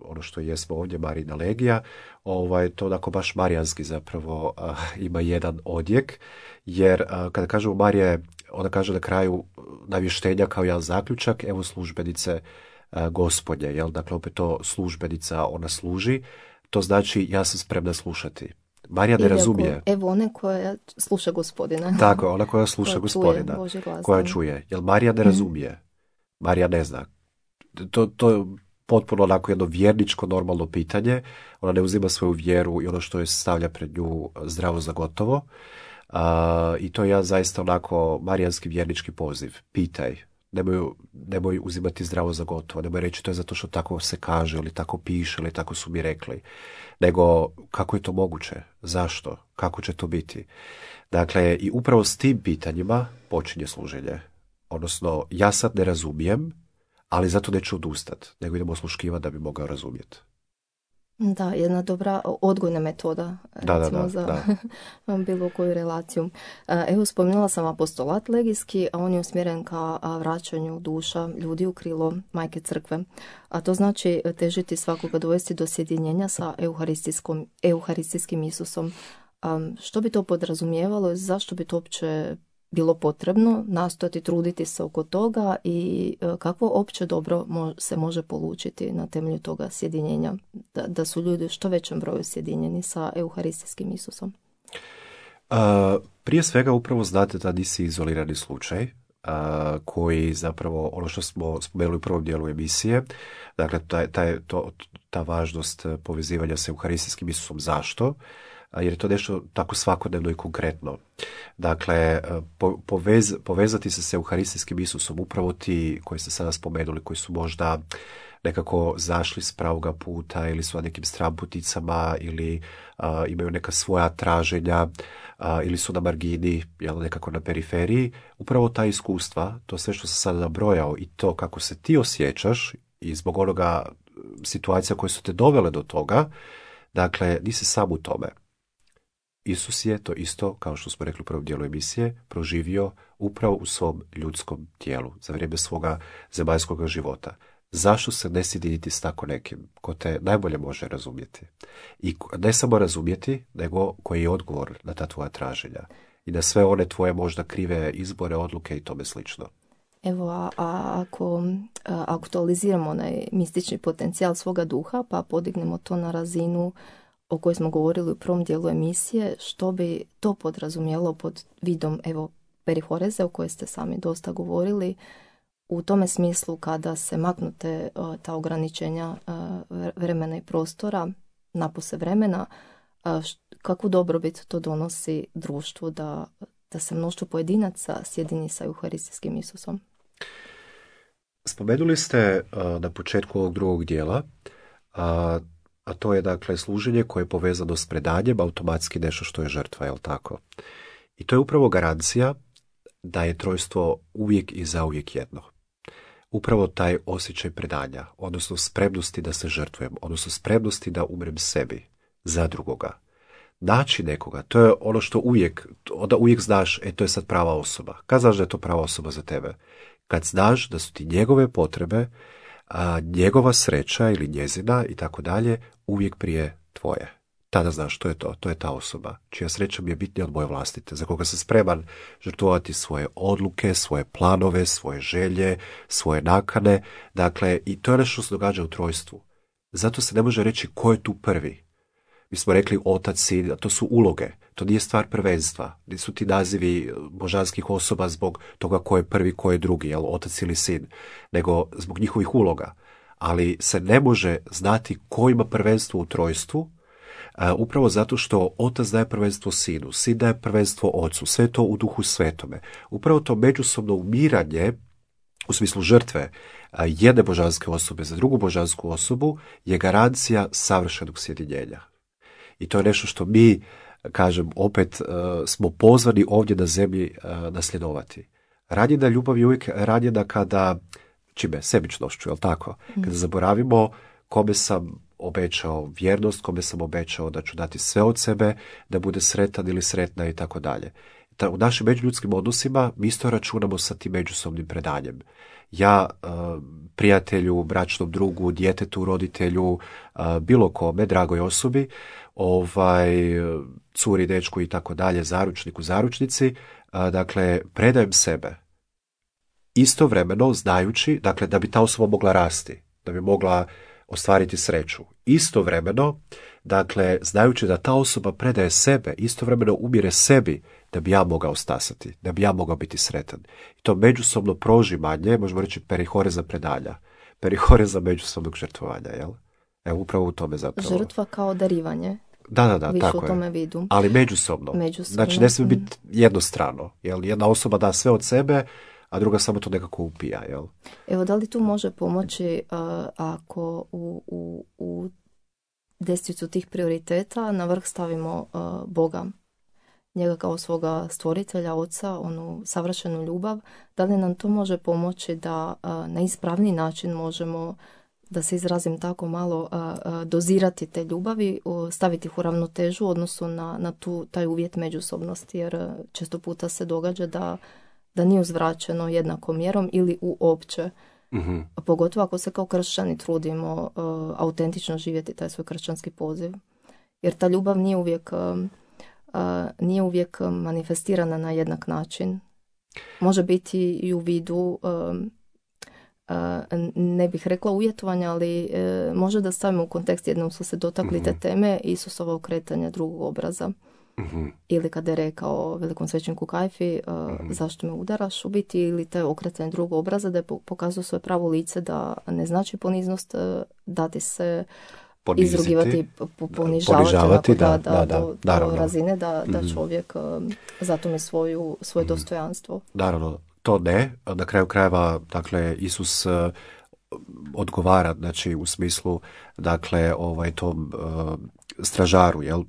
Speaker 2: ono što jesmo ovdje, Marijina legija, ovaj, to onako baš marijanski zapravo a, ima jedan odjek, jer a, kada kažemo Marija je, ona kaže na kraju navještenja kao jedan zaključak, evo službenice a, Gospodnje, jel? Dakle opet to službenica, ona služi, to znači ja sam spremna slušati. Marija ne razumije.
Speaker 1: Evo one koja sluša Gospodina.
Speaker 2: Tako, ona koja sluša koja Gospodina,
Speaker 1: čuje
Speaker 2: koja čuje, jer Marija ne razumije. Marija ne zna. To, to je potpuno onako jedno vjerničko normalno pitanje. Ona ne uzima svoju vjeru i ono što je stavlja pred nju zdravo za gotovo. Uh, I to je jedan zaista onako marijanski vjernički poziv. Pitaj. Nemoj, nemoj uzimati zdravo za gotovo. Nemoj reći to je zato što tako se kaže ili tako piše ili tako su mi rekli. Nego kako je to moguće? Zašto? Kako će to biti? Dakle, i upravo s tim pitanjima počinje služenje. Odnosno, ja sad ne razumijem, ali zato neću odustati, nego idemo osluškivati da bi mogao razumjeti.
Speaker 1: Da, jedna dobra odgojna metoda,
Speaker 2: da,
Speaker 1: recimo,
Speaker 2: da, da,
Speaker 1: za
Speaker 2: da.
Speaker 1: bilo koju relaciju. Evo, spomenula sam apostolat legijski, a on je usmjeren ka vraćanju duša ljudi u krilo Majke Crkve. A to znači težiti svakoga dovesti do sjedinjenja sa euharistijskom, euharistijskim Isusom. Um, što bi to podrazumijevalo i zašto bi to uopće bilo potrebno nastojati truditi se oko toga i kakvo opće dobro se može polučiti na temelju toga sjedinjenja, da, da su ljudi u što većem broju sjedinjeni sa euharistijskim Isusom?
Speaker 2: Uh, prije svega upravo znate da nisi izolirani slučaj, uh, koji zapravo ono što smo spomenuli u prvom dijelu emisije, dakle taj, taj, to, ta važnost povezivanja sa euharistijskim Isusom. Zašto? Jer je to nešto tako svakodnevno i konkretno. Dakle, povez, povezati se s euharistijskim Isusom, upravo ti koji ste sada spomenuli, koji su možda nekako zašli s pravoga puta ili su na nekim stramputicama ili a, imaju neka svoja traženja a, ili su na margini, jel, nekako na periferiji, upravo ta iskustva, to sve što sam sada nabrojao i to kako se ti osjećaš i zbog onoga situacija koje su te dovele do toga, dakle, nisi sam u tome. Isus je to isto, kao što smo rekli u prvom dijelu emisije, proživio upravo u svom ljudskom tijelu za vrijeme svoga zemaljskog života. Zašto se ne sjediniti s tako nekim ko te najbolje može razumjeti? I ne samo razumjeti, nego koji je odgovor na ta tvoja traženja i na sve one tvoje možda krive izbore, odluke i tome slično.
Speaker 1: Evo, a, a ako a, aktualiziramo onaj mistični potencijal svoga duha, pa podignemo to na razinu o kojoj smo govorili u prvom dijelu emisije, što bi to podrazumijelo pod vidom, evo, perihoreze o kojoj ste sami dosta govorili, u tome smislu kada se maknute uh, ta ograničenja uh, vremena i prostora, napose vremena, uh, š, kakvu dobrobit to donosi društvu da, da se mnoštvo pojedinaca sjedini sa Euharistijskim Isusom?
Speaker 2: Spomenuli ste uh, na početku ovog drugog dijela, uh, a to je dakle služenje koje je povezano s predanjem, automatski nešto što je žrtva, jel tako? I to je upravo garancija da je trojstvo uvijek i zauvijek jedno. Upravo taj osjećaj predanja, odnosno spremnosti da se žrtvujem, odnosno spremnosti da umrem sebi za drugoga. Naći nekoga, to je ono što uvijek, onda uvijek znaš, e to je sad prava osoba. Kad znaš da je to prava osoba za tebe? Kad znaš da su ti njegove potrebe, a, njegova sreća ili njezina i tako dalje, uvijek prije tvoje. Tada znaš što je to, to je ta osoba, čija sreća mi je bitnija od moje vlastite, za koga sam spreman žrtvovati svoje odluke, svoje planove, svoje želje, svoje nakane, dakle, i to je nešto što se događa u trojstvu. Zato se ne može reći ko je tu prvi. Mi smo rekli otac, sin, to su uloge, to nije stvar prvenstva, nisu ti nazivi božanskih osoba zbog toga ko je prvi, ko je drugi, jel, otac ili sin, nego zbog njihovih uloga. Ali se ne može znati ko ima prvenstvo u trojstvu, Uh, upravo zato što otac daje prvenstvo sinu, sin daje prvenstvo ocu, sve to u duhu svetome. Upravo to međusobno umiranje, u smislu žrtve uh, jedne božanske osobe za drugu božansku osobu, je garancija savršenog sjedinjenja. I to je nešto što mi, kažem, opet uh, smo pozvani ovdje na zemlji uh, nasljedovati. Ranjena ljubav je uvijek ranjena kada, čime, sebičnošću, jel tako? Mm. Kada zaboravimo kome sam obećao vjernost, kome sam obećao da ću dati sve od sebe, da bude sretan ili sretna i tako dalje. U našim međuljudskim odnosima mi isto računamo sa tim međusobnim predanjem. Ja prijatelju, bračnom drugu, djetetu, roditelju, bilo kome, dragoj osobi, ovaj, curi, dečku i tako dalje, zaručniku, zaručnici, dakle, predajem sebe. Istovremeno znajući, dakle, da bi ta osoba mogla rasti, da bi mogla ostvariti sreću. Istovremeno, dakle, znajući da ta osoba predaje sebe, istovremeno umire sebi da bi ja mogao stasati, da bi ja mogao biti sretan. I to međusobno prožimanje, možemo reći perihoreza predanja, perihoreza međusobnog žrtvovanja, jel? Evo, upravo u tome zapravo.
Speaker 1: Žrtva kao darivanje.
Speaker 2: Da, da, da,
Speaker 1: više
Speaker 2: tako
Speaker 1: u tome vidu.
Speaker 2: Ali međusobno.
Speaker 1: međusobno.
Speaker 2: Znači, ne smije biti jednostrano, jel? Jedna osoba da sve od sebe, a druga samo to nekako upija, jel?
Speaker 1: Evo, da li tu može pomoći uh, ako u, u, u deseticu tih prioriteta na vrh stavimo uh, Boga, njega kao svoga stvoritelja, oca, onu savršenu ljubav, da li nam to može pomoći da uh, na ispravni način možemo, da se izrazim tako malo, uh, uh, dozirati te ljubavi, uh, staviti ih u ravnotežu u odnosu na, na tu, taj uvjet međusobnosti, jer uh, često puta se događa da da nije uzvraćeno jednakom mjerom ili uopće. Mm-hmm. Pogotovo ako se kao kršćani trudimo uh, autentično živjeti taj svoj kršćanski poziv. Jer ta ljubav nije uvijek, uh, uh, nije uvijek manifestirana na jednak način. Može biti i u vidu, uh, uh, ne bih rekla uvjetovanja, ali uh, može da stavimo u kontekst, jednom su se dotakli mm-hmm. te teme, Isusova okretanje drugog obraza. Mm-hmm. Ili kada je rekao velikom svećeniku Kajfi, uh, mm-hmm. zašto me udaraš, u biti, ili te okretanje drugog obraza, da je pokazao svoje pravo lice, da ne znači poniznost, uh, dati se poniziti, izrugivati, ponižavati,
Speaker 2: ponižavati
Speaker 1: onako,
Speaker 2: da,
Speaker 1: da,
Speaker 2: da,
Speaker 1: da,
Speaker 2: da,
Speaker 1: do, do razine da, da
Speaker 2: mm-hmm.
Speaker 1: čovjek uh, zato mi svoju, svoje mm-hmm. dostojanstvo.
Speaker 2: Naravno, to ne. Na kraju krajeva, dakle, Isus uh, odgovara, znači u smislu, dakle, ovaj tom uh, stražaru, jel, uh,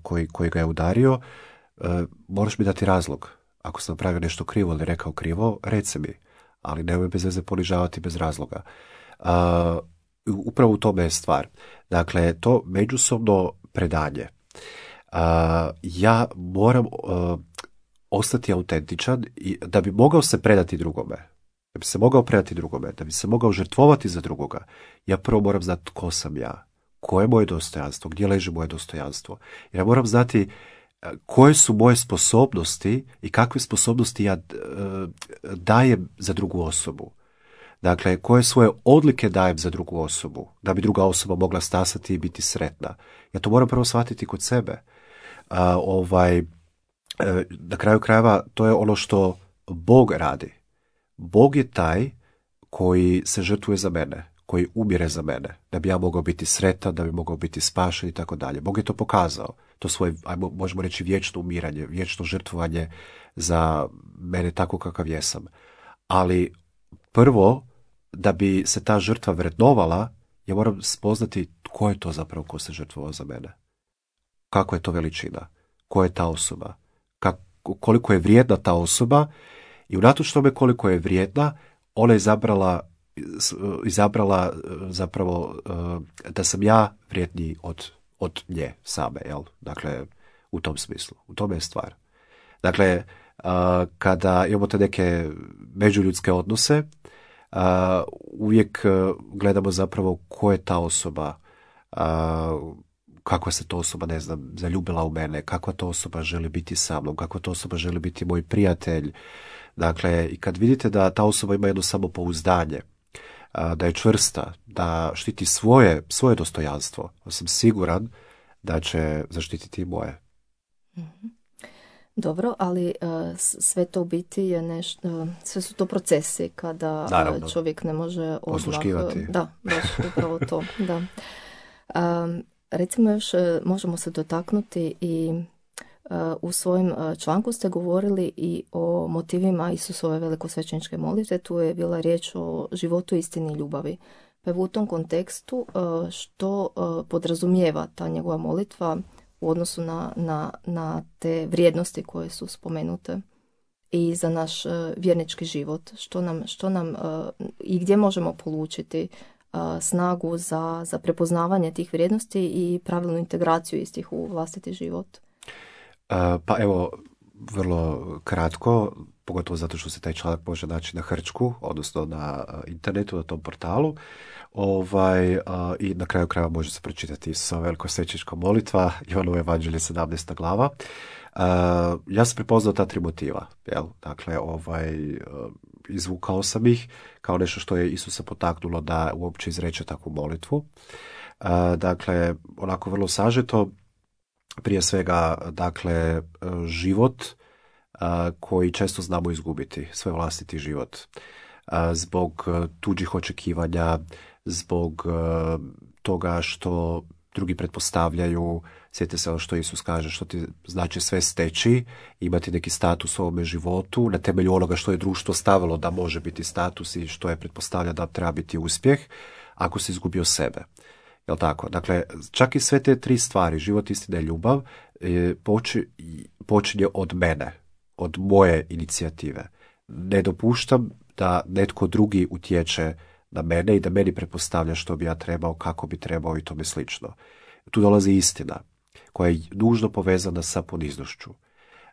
Speaker 2: koji, koji ga je udario, uh, moraš mi dati razlog. Ako sam napravio nešto krivo ili rekao krivo, reci mi, ali nemoj bez veze ponižavati bez razloga. Uh, upravo u tome je stvar. Dakle, to međusobno predanje. Uh, ja moram uh, ostati autentičan i da bi mogao se predati drugome. Da bi se mogao predati drugome, da bi se mogao žrtvovati za drugoga, ja prvo moram znati tko sam ja, koje je moje dostojanstvo, gdje leži moje dostojanstvo. Jer ja moram znati koje su moje sposobnosti i kakve sposobnosti ja dajem za drugu osobu. Dakle, koje svoje odlike dajem za drugu osobu, da bi druga osoba mogla stasati i biti sretna. Ja to moram prvo shvatiti kod sebe. A, ovaj, na kraju krajeva, to je ono što Bog radi. Bog je taj koji se žrtvuje za mene, koji umire za mene, da bi ja mogao biti sretan, da bi mogao biti spašen i tako dalje. Bog je to pokazao. To svoje, ajmo, možemo reći, vječno umiranje, vječno žrtvovanje za mene tako kakav jesam. Ali prvo, da bi se ta žrtva vrednovala, ja moram spoznati tko je to zapravo ko se žrtvovao za mene. Kako je to veličina? Ko je ta osoba? Kako, koliko je vrijedna ta osoba? I unatoč tome koliko je vrijedna, ona je izabrala, izabrala zapravo da sam ja vrijedniji od, od nje same. Jel? Dakle, u tom smislu. U tome je stvar. Dakle, kada imamo te neke međuljudske odnose, uvijek gledamo zapravo ko je ta osoba, kako se to osoba, ne znam, zaljubila u mene, kakva to osoba želi biti sa mnom, kakva to osoba želi biti moj prijatelj. Dakle, i kad vidite da ta osoba ima jedno samopouzdanje, da je čvrsta, da štiti svoje, svoje dostojanstvo, sam siguran da će zaštititi i moje.
Speaker 1: Dobro, ali uh, sve to u biti je nešto, uh, sve su to procesi kada
Speaker 2: Naravno.
Speaker 1: čovjek ne može odmah...
Speaker 2: Osluškivati.
Speaker 1: Da, baš upravo to, da. Um, recimo još možemo se dotaknuti i uh, u svojem uh, članku ste govorili i o motivima Isusove velikosvećeničke molitve, tu je bila riječ o životu, istini i ljubavi. Pa u tom kontekstu uh, što uh, podrazumijeva ta njegova molitva u odnosu na, na, na te vrijednosti koje su spomenute i za naš uh, vjernički život, što nam, što nam uh, i gdje možemo polučiti uh, snagu za, za prepoznavanje tih vrijednosti i pravilnu integraciju istih u vlastiti život.
Speaker 2: Uh, pa evo, vrlo kratko, pogotovo zato što se taj članak može naći na Hrčku, odnosno na uh, internetu, na tom portalu. Ovaj, uh, I na kraju krajeva može se pročitati sa velikosvećenička molitva, Ivanovo evanđelje sedamnaesta glava. Uh, ja sam prepoznao ta tri motiva. Jel? Dakle, ovaj, uh, izvukao sam ih kao nešto što je Isusa potaknulo da uopće izreče takvu molitvu. Uh, dakle, onako vrlo sažeto, prije svega, dakle, život uh, koji često znamo izgubiti, svoj vlastiti život. Uh, zbog tuđih očekivanja, zbog uh, toga što drugi pretpostavljaju, sjetite se ono što Isus kaže, što ti znači sve steći, imati neki status u ovome životu, na temelju onoga što je društvo stavilo da može biti status i što je pretpostavlja da treba biti uspjeh, ako si izgubio sebe. Jel tako? Dakle, čak i sve te tri stvari, život, istina i ljubav, počinje od mene, od moje inicijative. Ne dopuštam da netko drugi utječe na mene i da meni pretpostavlja što bi ja trebao, kako bi trebao i tome slično. Tu dolazi istina, koja je nužno povezana sa poniznošću.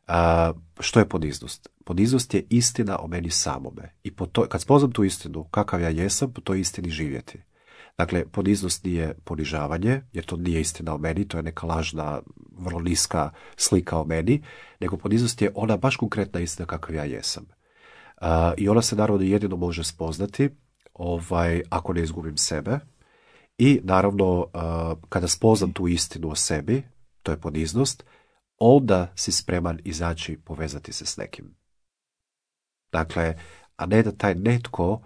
Speaker 2: A, što je poniznost? Poniznost je istina o meni samome. I po to, kad spoznam tu istinu, kakav ja jesam, po toj istini živjeti. Dakle, poniznost nije ponižavanje, jer to nije istina o meni, to je neka lažna, vrlo niska slika o meni, nego poniznost je ona baš konkretna istina kakav ja jesam. Uh, I ona se naravno jedino može spoznati ovaj, ako ne izgubim sebe. I naravno, uh, kada spoznam tu istinu o sebi, to je poniznost, onda si spreman izaći povezati se s nekim. Dakle, a ne da taj netko uh,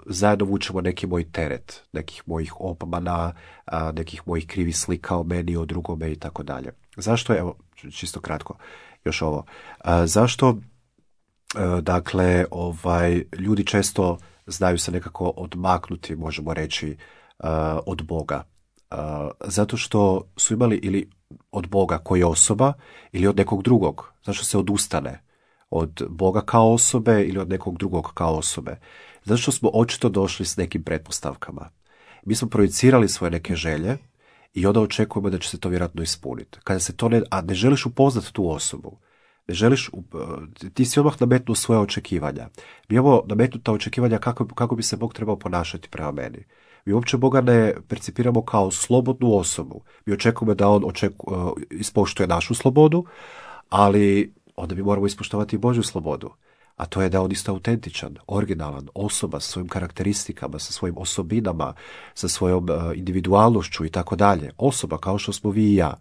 Speaker 2: zajedno vučemo neki moj teret, nekih mojih obmana, uh, nekih mojih krivih slika o meni, o drugome i tako dalje. Zašto, evo, čisto kratko, još ovo, uh, zašto, uh, dakle, ovaj, ljudi često znaju se nekako odmaknuti, možemo reći, uh, od Boga. Uh, zato što su imali ili od Boga koji osoba ili od nekog drugog. Zašto se odustane od Boga kao osobe ili od nekog drugog kao osobe? Zato što smo očito došli s nekim pretpostavkama. Mi smo projicirali svoje neke želje i onda očekujemo da će se to vjerojatno ispuniti. Kada se to ne, a ne želiš upoznati tu osobu, ne želiš, ti si odmah nametnuo svoje očekivanja. Mi imamo nametnuta očekivanja kako, kako bi se Bog trebao ponašati prema meni. Mi uopće Boga ne percipiramo kao slobodnu osobu. Mi očekujemo da on očeku, ispoštuje našu slobodu, ali onda mi moramo ispoštovati i Božju slobodu. a to je da je on isto autentičan, originalan, osoba sa svojim karakteristikama, sa svojim osobinama, sa svojom uh, individualnošću i tako dalje. Osoba kao što smo vi i ja.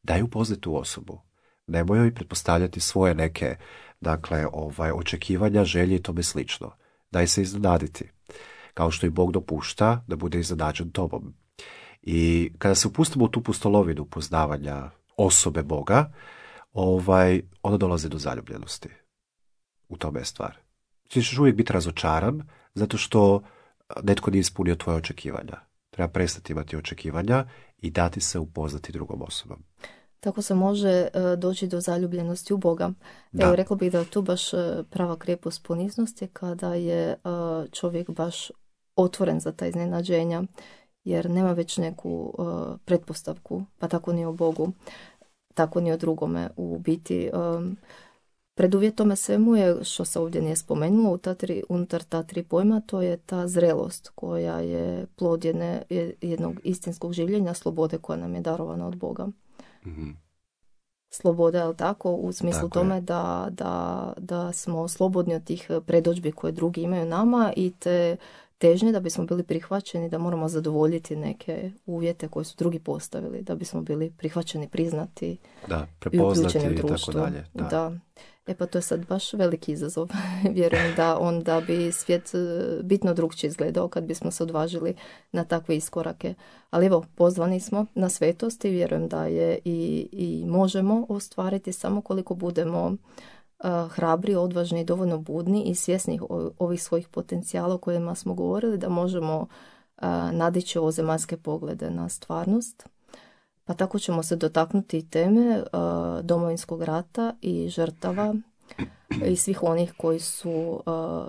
Speaker 2: Daj upoznati tu osobu. Nemoj joj pretpostavljati svoje neke, dakle, ovaj, očekivanja, želje i tome slično. Daj se iznenaditi. Kao što i Bog dopušta da bude iznenađen tobom. I kada se upustimo u tu pustolovinu poznavanja osobe Boga, ovaj, onda dolazi do zaljubljenosti. U tome je stvar. Ti ćeš uvijek biti razočaran zato što netko nije ispunio tvoje očekivanja. Treba prestati imati očekivanja i dati se upoznati drugom osobom.
Speaker 1: Tako se može uh, doći do zaljubljenosti u Boga.
Speaker 2: Da.
Speaker 1: Evo, rekla bih da je tu baš uh, prava krepost poniznosti kada je uh, čovjek baš otvoren za ta iznenađenja, jer nema već neku uh, pretpostavku, pa tako ni o Bogu, tako ni o drugome. U biti, um, preduvjet tome svemu je, što se ovdje nije spomenulo, u ta tri, unutar ta tri pojma, to je ta zrelost koja je plod jedne, jednog istinskog življenja, slobode koja nam je darovana od Boga.
Speaker 2: Mm-hmm.
Speaker 1: Sloboda, je li tako, u smislu
Speaker 2: tako
Speaker 1: tome da, da, da smo slobodni od tih predodžbi koje drugi imaju nama i te težnje da bismo bili prihvaćeni, da moramo zadovoljiti neke uvjete koje su drugi postavili, da bismo bili prihvaćeni, priznati
Speaker 2: da,
Speaker 1: i uključeni u
Speaker 2: i
Speaker 1: društvo.
Speaker 2: tako dalje. Da.
Speaker 1: Da. E pa to je sad baš veliki izazov. Vjerujem da onda bi svijet bitno drugčije izgledao kad bismo se odvažili na takve iskorake. Ali evo, pozvani smo na svetost i vjerujem da je i, i možemo ostvariti samo koliko budemo uh, hrabri, odvažni, dovoljno budni i svjesni ovih svojih potencijala o kojima smo govorili, da možemo uh, nadići ovozemaljske poglede na stvarnost. Pa tako ćemo se dotaknuti teme uh, Domovinskog rata i žrtava i svih onih koji su uh,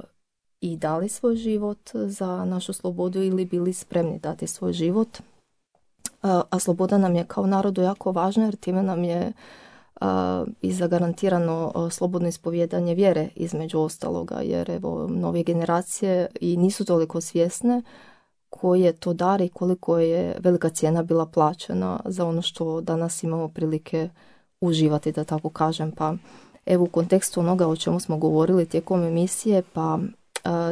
Speaker 1: i dali svoj život za našu slobodu ili bili spremni dati svoj život. Uh, a sloboda nam je kao narodu jako važna jer time nam je uh, i zagarantirano uh, slobodno ispovjedanje vjere između ostaloga, jer evo nove generacije i nisu toliko svjesne koji je to dar i koliko je velika cijena bila plaćena za ono što danas imamo prilike uživati, da tako kažem. Pa evo u kontekstu onoga o čemu smo govorili tijekom emisije, pa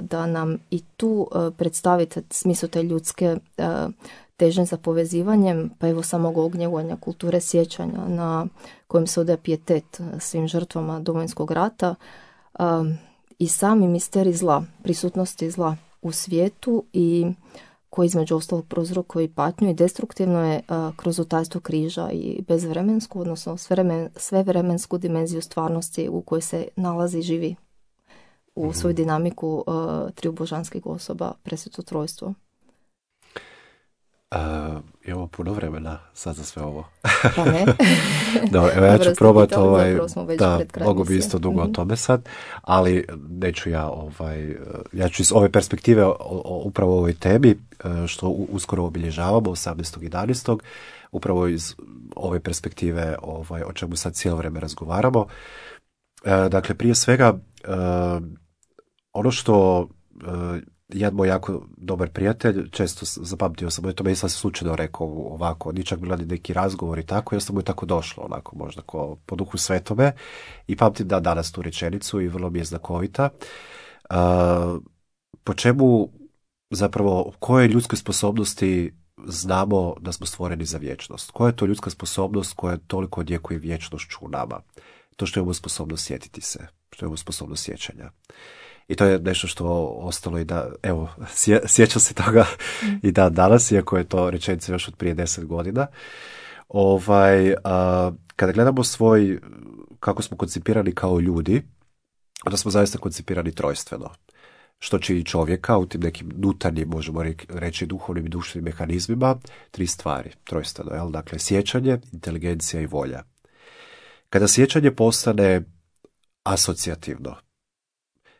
Speaker 1: da nam i tu predstavite smisao te ljudske težnje za povezivanjem, pa evo samog ognjevanja kulture sjećanja na kojem se odaje pijetet svim žrtvama Domovinskog rata i sami misterij zla, prisutnosti zla u svijetu i koji između ostalog prouzrokuje i patnju i destruktivno je a, kroz utajstvo križa i bezvremensku, odnosno svevremen, svevremensku dimenziju stvarnosti u kojoj se nalazi i živi u mm-hmm. svoju dinamiku a, triju božanskih osoba, presveto trojstvo.
Speaker 2: Uh, imamo puno vremena sad za sve ovo.
Speaker 1: Pa ne.
Speaker 2: Dobro, evo ja ću probati ovaj,
Speaker 1: da,
Speaker 2: mogu bi isto dugo mm-hmm. o tome sad, ali neću ja ovaj, ja ću iz ove perspektive o, o, upravo o ovoj temi, što uskoro obilježavamo, osamnaestog jedanaestog upravo iz ove perspektive ovaj, o čemu sad cijelo vrijeme razgovaramo. E, dakle, prije svega, e, ono što e, jedan moj jako dobar prijatelj, često zapamtio sam, to me nisam slučajno rekao ovako, ni čak bila ni neki razgovor i tako, i mu je tako došlo, onako možda ko po duhu svetome, i pamtim da danas tu rečenicu i vrlo mi je znakovita. Uh, po čemu zapravo, koje ljudske sposobnosti znamo da smo stvoreni za vječnost? Koja je to ljudska sposobnost koja toliko odjekuje vječnošću u nama? To što imamo sposobnost sjetiti se, što imamo sposobnost sjećanja. I to je nešto što ostalo i da, evo, sje, sjećam se toga i da danas, iako je to rečenica još od prije deset godina. Ovaj, a, kada gledamo svoj, kako smo koncipirani kao ljudi, onda smo zaista koncipirani trojstveno. Što čini čovjeka u tim nekim nutarnjim, možemo reći, duhovnim i duševnim mehanizmima, tri stvari, trojstveno, jel? Dakle, sjećanje, inteligencija i volja. Kada sjećanje postane asocijativno,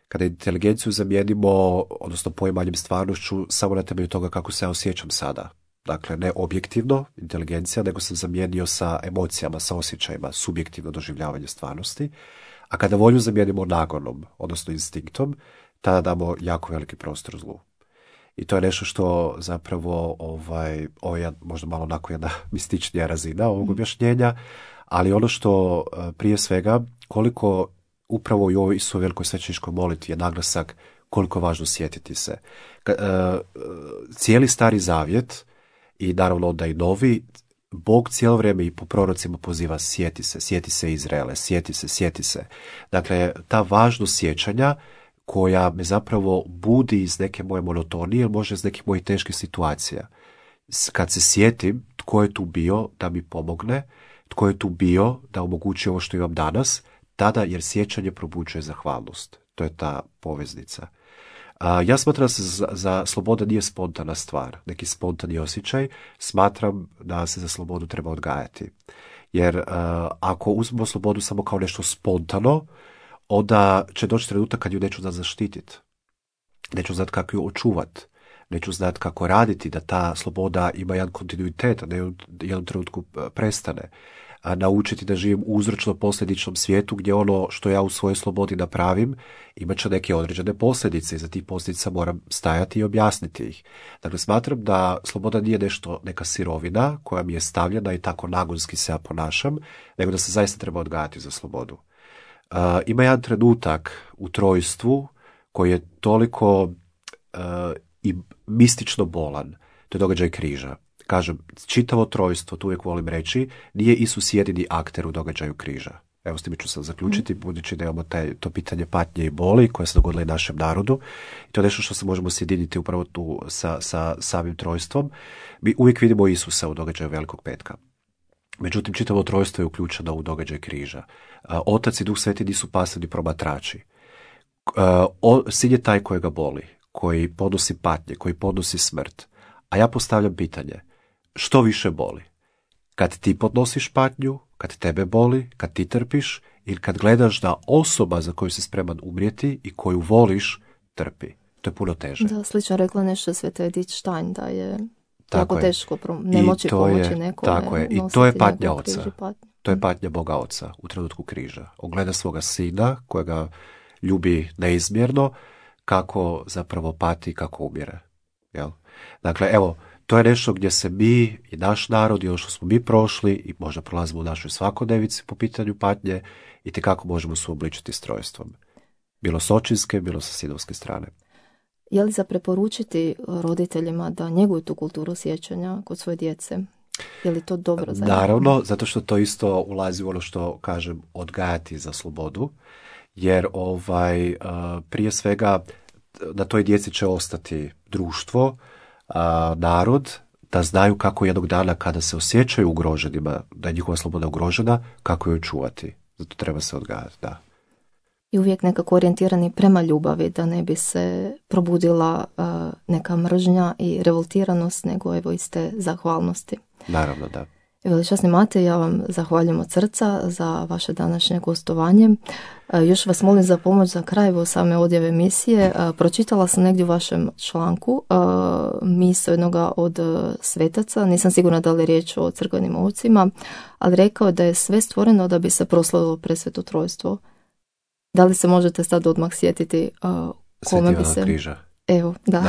Speaker 2: kada inteligenciju zamijenimo, odnosno poimanjem stvarnošću, samo na temelju toga kako se ja osjećam sada. Dakle, ne objektivno, inteligencija, nego sam zamijenio sa emocijama, sa osjećajima, subjektivno doživljavanje stvarnosti. A kada volju zamijenimo nagonom, odnosno instinktom, tada damo jako veliki prostor zlu. I to je nešto što zapravo, ovaj, ovo je možda malo onako jedna mističnija razina ovog objašnjenja, ali ono što prije svega, koliko upravo i u ovoj Isusovoj velikoj svećeničkoj molitvi je naglasak koliko je važno sjetiti se. Ka, e, cijeli Stari Zavjet i naravno onda i Novi, Bog cijelo vrijeme i po prorocima poziva sjeti se, sjeti se Izraele, sjeti se, sjeti se. Dakle, ta važnost sjećanja koja me zapravo budi iz neke moje monotonije, može iz nekih mojih teških situacija. Kad se sjetim tko je tu bio da mi pomogne, tko je tu bio da omogući ovo što imam danas, tada jer sjećanje probuđuje zahvalnost. To je ta poveznica. A, ja smatram da se za, za sloboda nije spontana stvar, neki spontani osjećaj. Smatram da se za slobodu treba odgajati. Jer a, ako uzmemo slobodu samo kao nešto spontano, onda će doći trenutak kad ju neću znati zaštititi. Neću znati kako ju očuvati. Neću znati kako raditi da ta sloboda ima jedan kontinuitet, a ne u jednom trenutku prestane. A naučiti da živim u uzročno-posljedičnom svijetu gdje ono što ja u svojoj slobodi napravim imat će neke određene posljedice i za tih posljedica moram stajati i objasniti ih. Dakle, smatram da sloboda nije nešto, neka sirovina koja mi je stavljena i tako nagonski se ja ponašam, nego da se zaista treba odgajati za slobodu. Uh, ima jedan trenutak u trojstvu koji je toliko uh, i mistično bolan. To je događaj križa. Kažem, čitavo trojstvo, tu uvijek volim reći, nije Isus jedini akter u događaju križa. Evo s tim ću sad zaključiti, mm. budući da imamo taj, to pitanje patnje i boli koje se dogodilo i našem narodu. I to je nešto što se možemo sjediniti upravo tu sa, sa samim trojstvom. Mi uvijek vidimo Isusa u događaju Velikog petka. Međutim, čitavo trojstvo je uključeno u događaj križa. Otac i Duh Sveti nisu pasivni promatrači. Sin je taj kojega boli, koji podnosi patnje, koji podnosi smrt. A ja postavljam pitanje, što više boli? Kad ti podnosiš patnju, kad tebe boli, kad ti trpiš, ili kad gledaš da osoba za koju si spreman umrijeti i koju voliš, trpi? To je puno teže.
Speaker 1: Da, slično rekla nešto Sveta Edith Stein, da je tako jako teško ne moći pomoći nekome.
Speaker 2: Tako je, i to je patnja oca. To je patnja Boga Oca u trenutku križa. On gleda svoga sina, kojega ljubi neizmjerno, kako zapravo pati, kako umire. Jel? Dakle, evo, to je nešto gdje se mi i naš narod i ono što smo mi prošli i možda prolazimo u našoj svakodnevici po pitanju patnje i tekako možemo suobličiti s trojstvom. Bilo s očinske, bilo sa sinovske strane.
Speaker 1: Je li za preporučiti roditeljima da njeguju tu kulturu sjećanja kod svoje djece? Je li to dobro za njih?
Speaker 2: Naravno, zato što to isto ulazi u ono što kažem odgajati za slobodu, jer ovaj prije svega na toj djeci će ostati društvo, a, narod, da znaju kako jednog dana kada se osjećaju ugroženima, da je njihova sloboda ugrožena, kako ju čuvati. Zato treba se odgajati, da.
Speaker 1: I uvijek nekako orijentirani prema ljubavi, da ne bi se probudila uh, neka mržnja i revoltiranost, nego evo iste zahvalnosti.
Speaker 2: Naravno, da.
Speaker 1: Veličasni Matej, ja vam zahvaljujem od srca za vaše današnje gostovanje. Još vas molim za pomoć za kraj evo same odjave emisije. Pročitala sam negdje u vašem članku misao jednoga od svetaca, nisam sigurna da li je riječ o crkvenim ovcima, ali rekao da je sve stvoreno da bi se proslavilo presveto trojstvo. Da li se možete sad odmah sjetiti kome bi se...
Speaker 2: križa.
Speaker 1: Evo, da.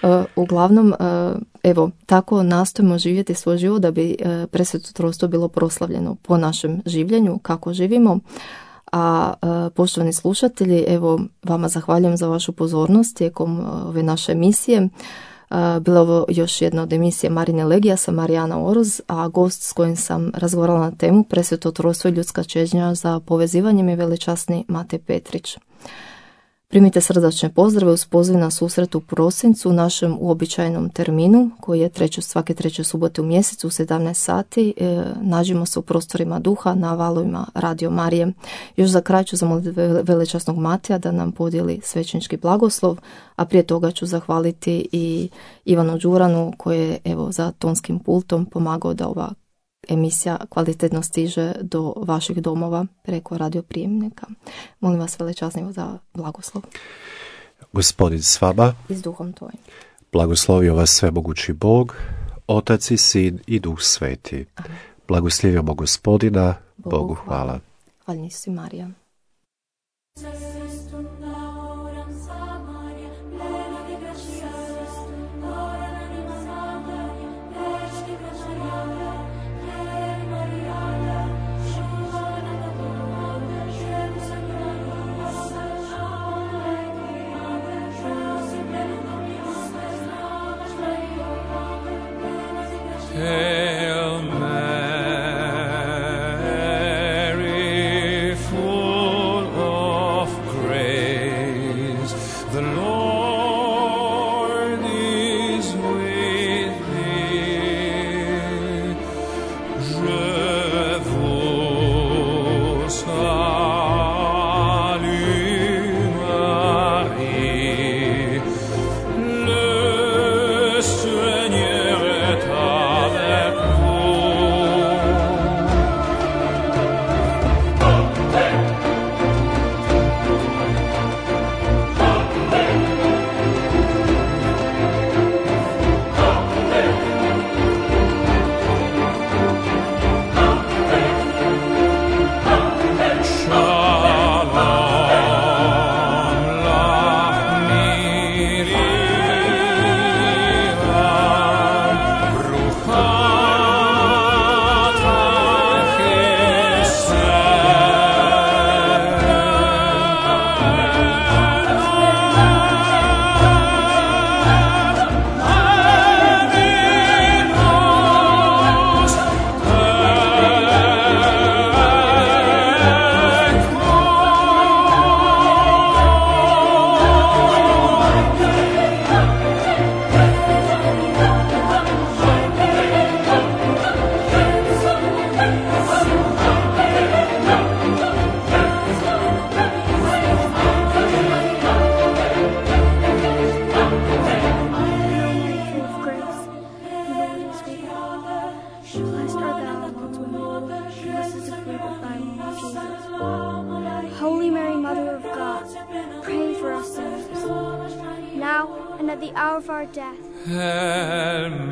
Speaker 1: da. Uglavnom, evo, tako nastojimo živjeti svoj život da bi presveto trojstvo bilo proslavljeno po našem življenju, kako živimo. A poštovani slušatelji, evo, vama zahvaljujem za vašu pozornost tijekom ove naše emisije. Bila ovo još jedna od emisije Marine Legija sa Marijana Oroz, a gost s kojim sam razgovarala na temu presveto trojstvo i ljudska čežnja za povezivanjem je veličasni Matej Petrić. Primite srdačne pozdrave uz poziv na susret u prosincu u našem uobičajenom terminu koji je treće, svake treće subote u mjesecu u sedamnaest sati. E, nađimo se u prostorima duha na valovima Radio Marije. Još za kraj ću zamoliti velečasnog Mateja da nam podijeli svećenički blagoslov, a prije toga ću zahvaliti i Ivanu Đuranu koji je evo za tonskim pultom pomagao da ova emisija kvalitetno stiže do vaših domova preko radioprijemnika. Molim vas velečasno za blagoslov.
Speaker 2: Gospodin s vama.
Speaker 1: I s duhom tvojim.
Speaker 2: Blagoslovio vas svemogući Bog, Otac i Sin i Duh Sveti. Amen. Blagoslivimo Gospodina, Bogu, Bogu hvala.
Speaker 1: Hvala si Marija.
Speaker 3: Maria, Mother of God, pray for us sinners, now and at the hour of our death.
Speaker 4: Amen.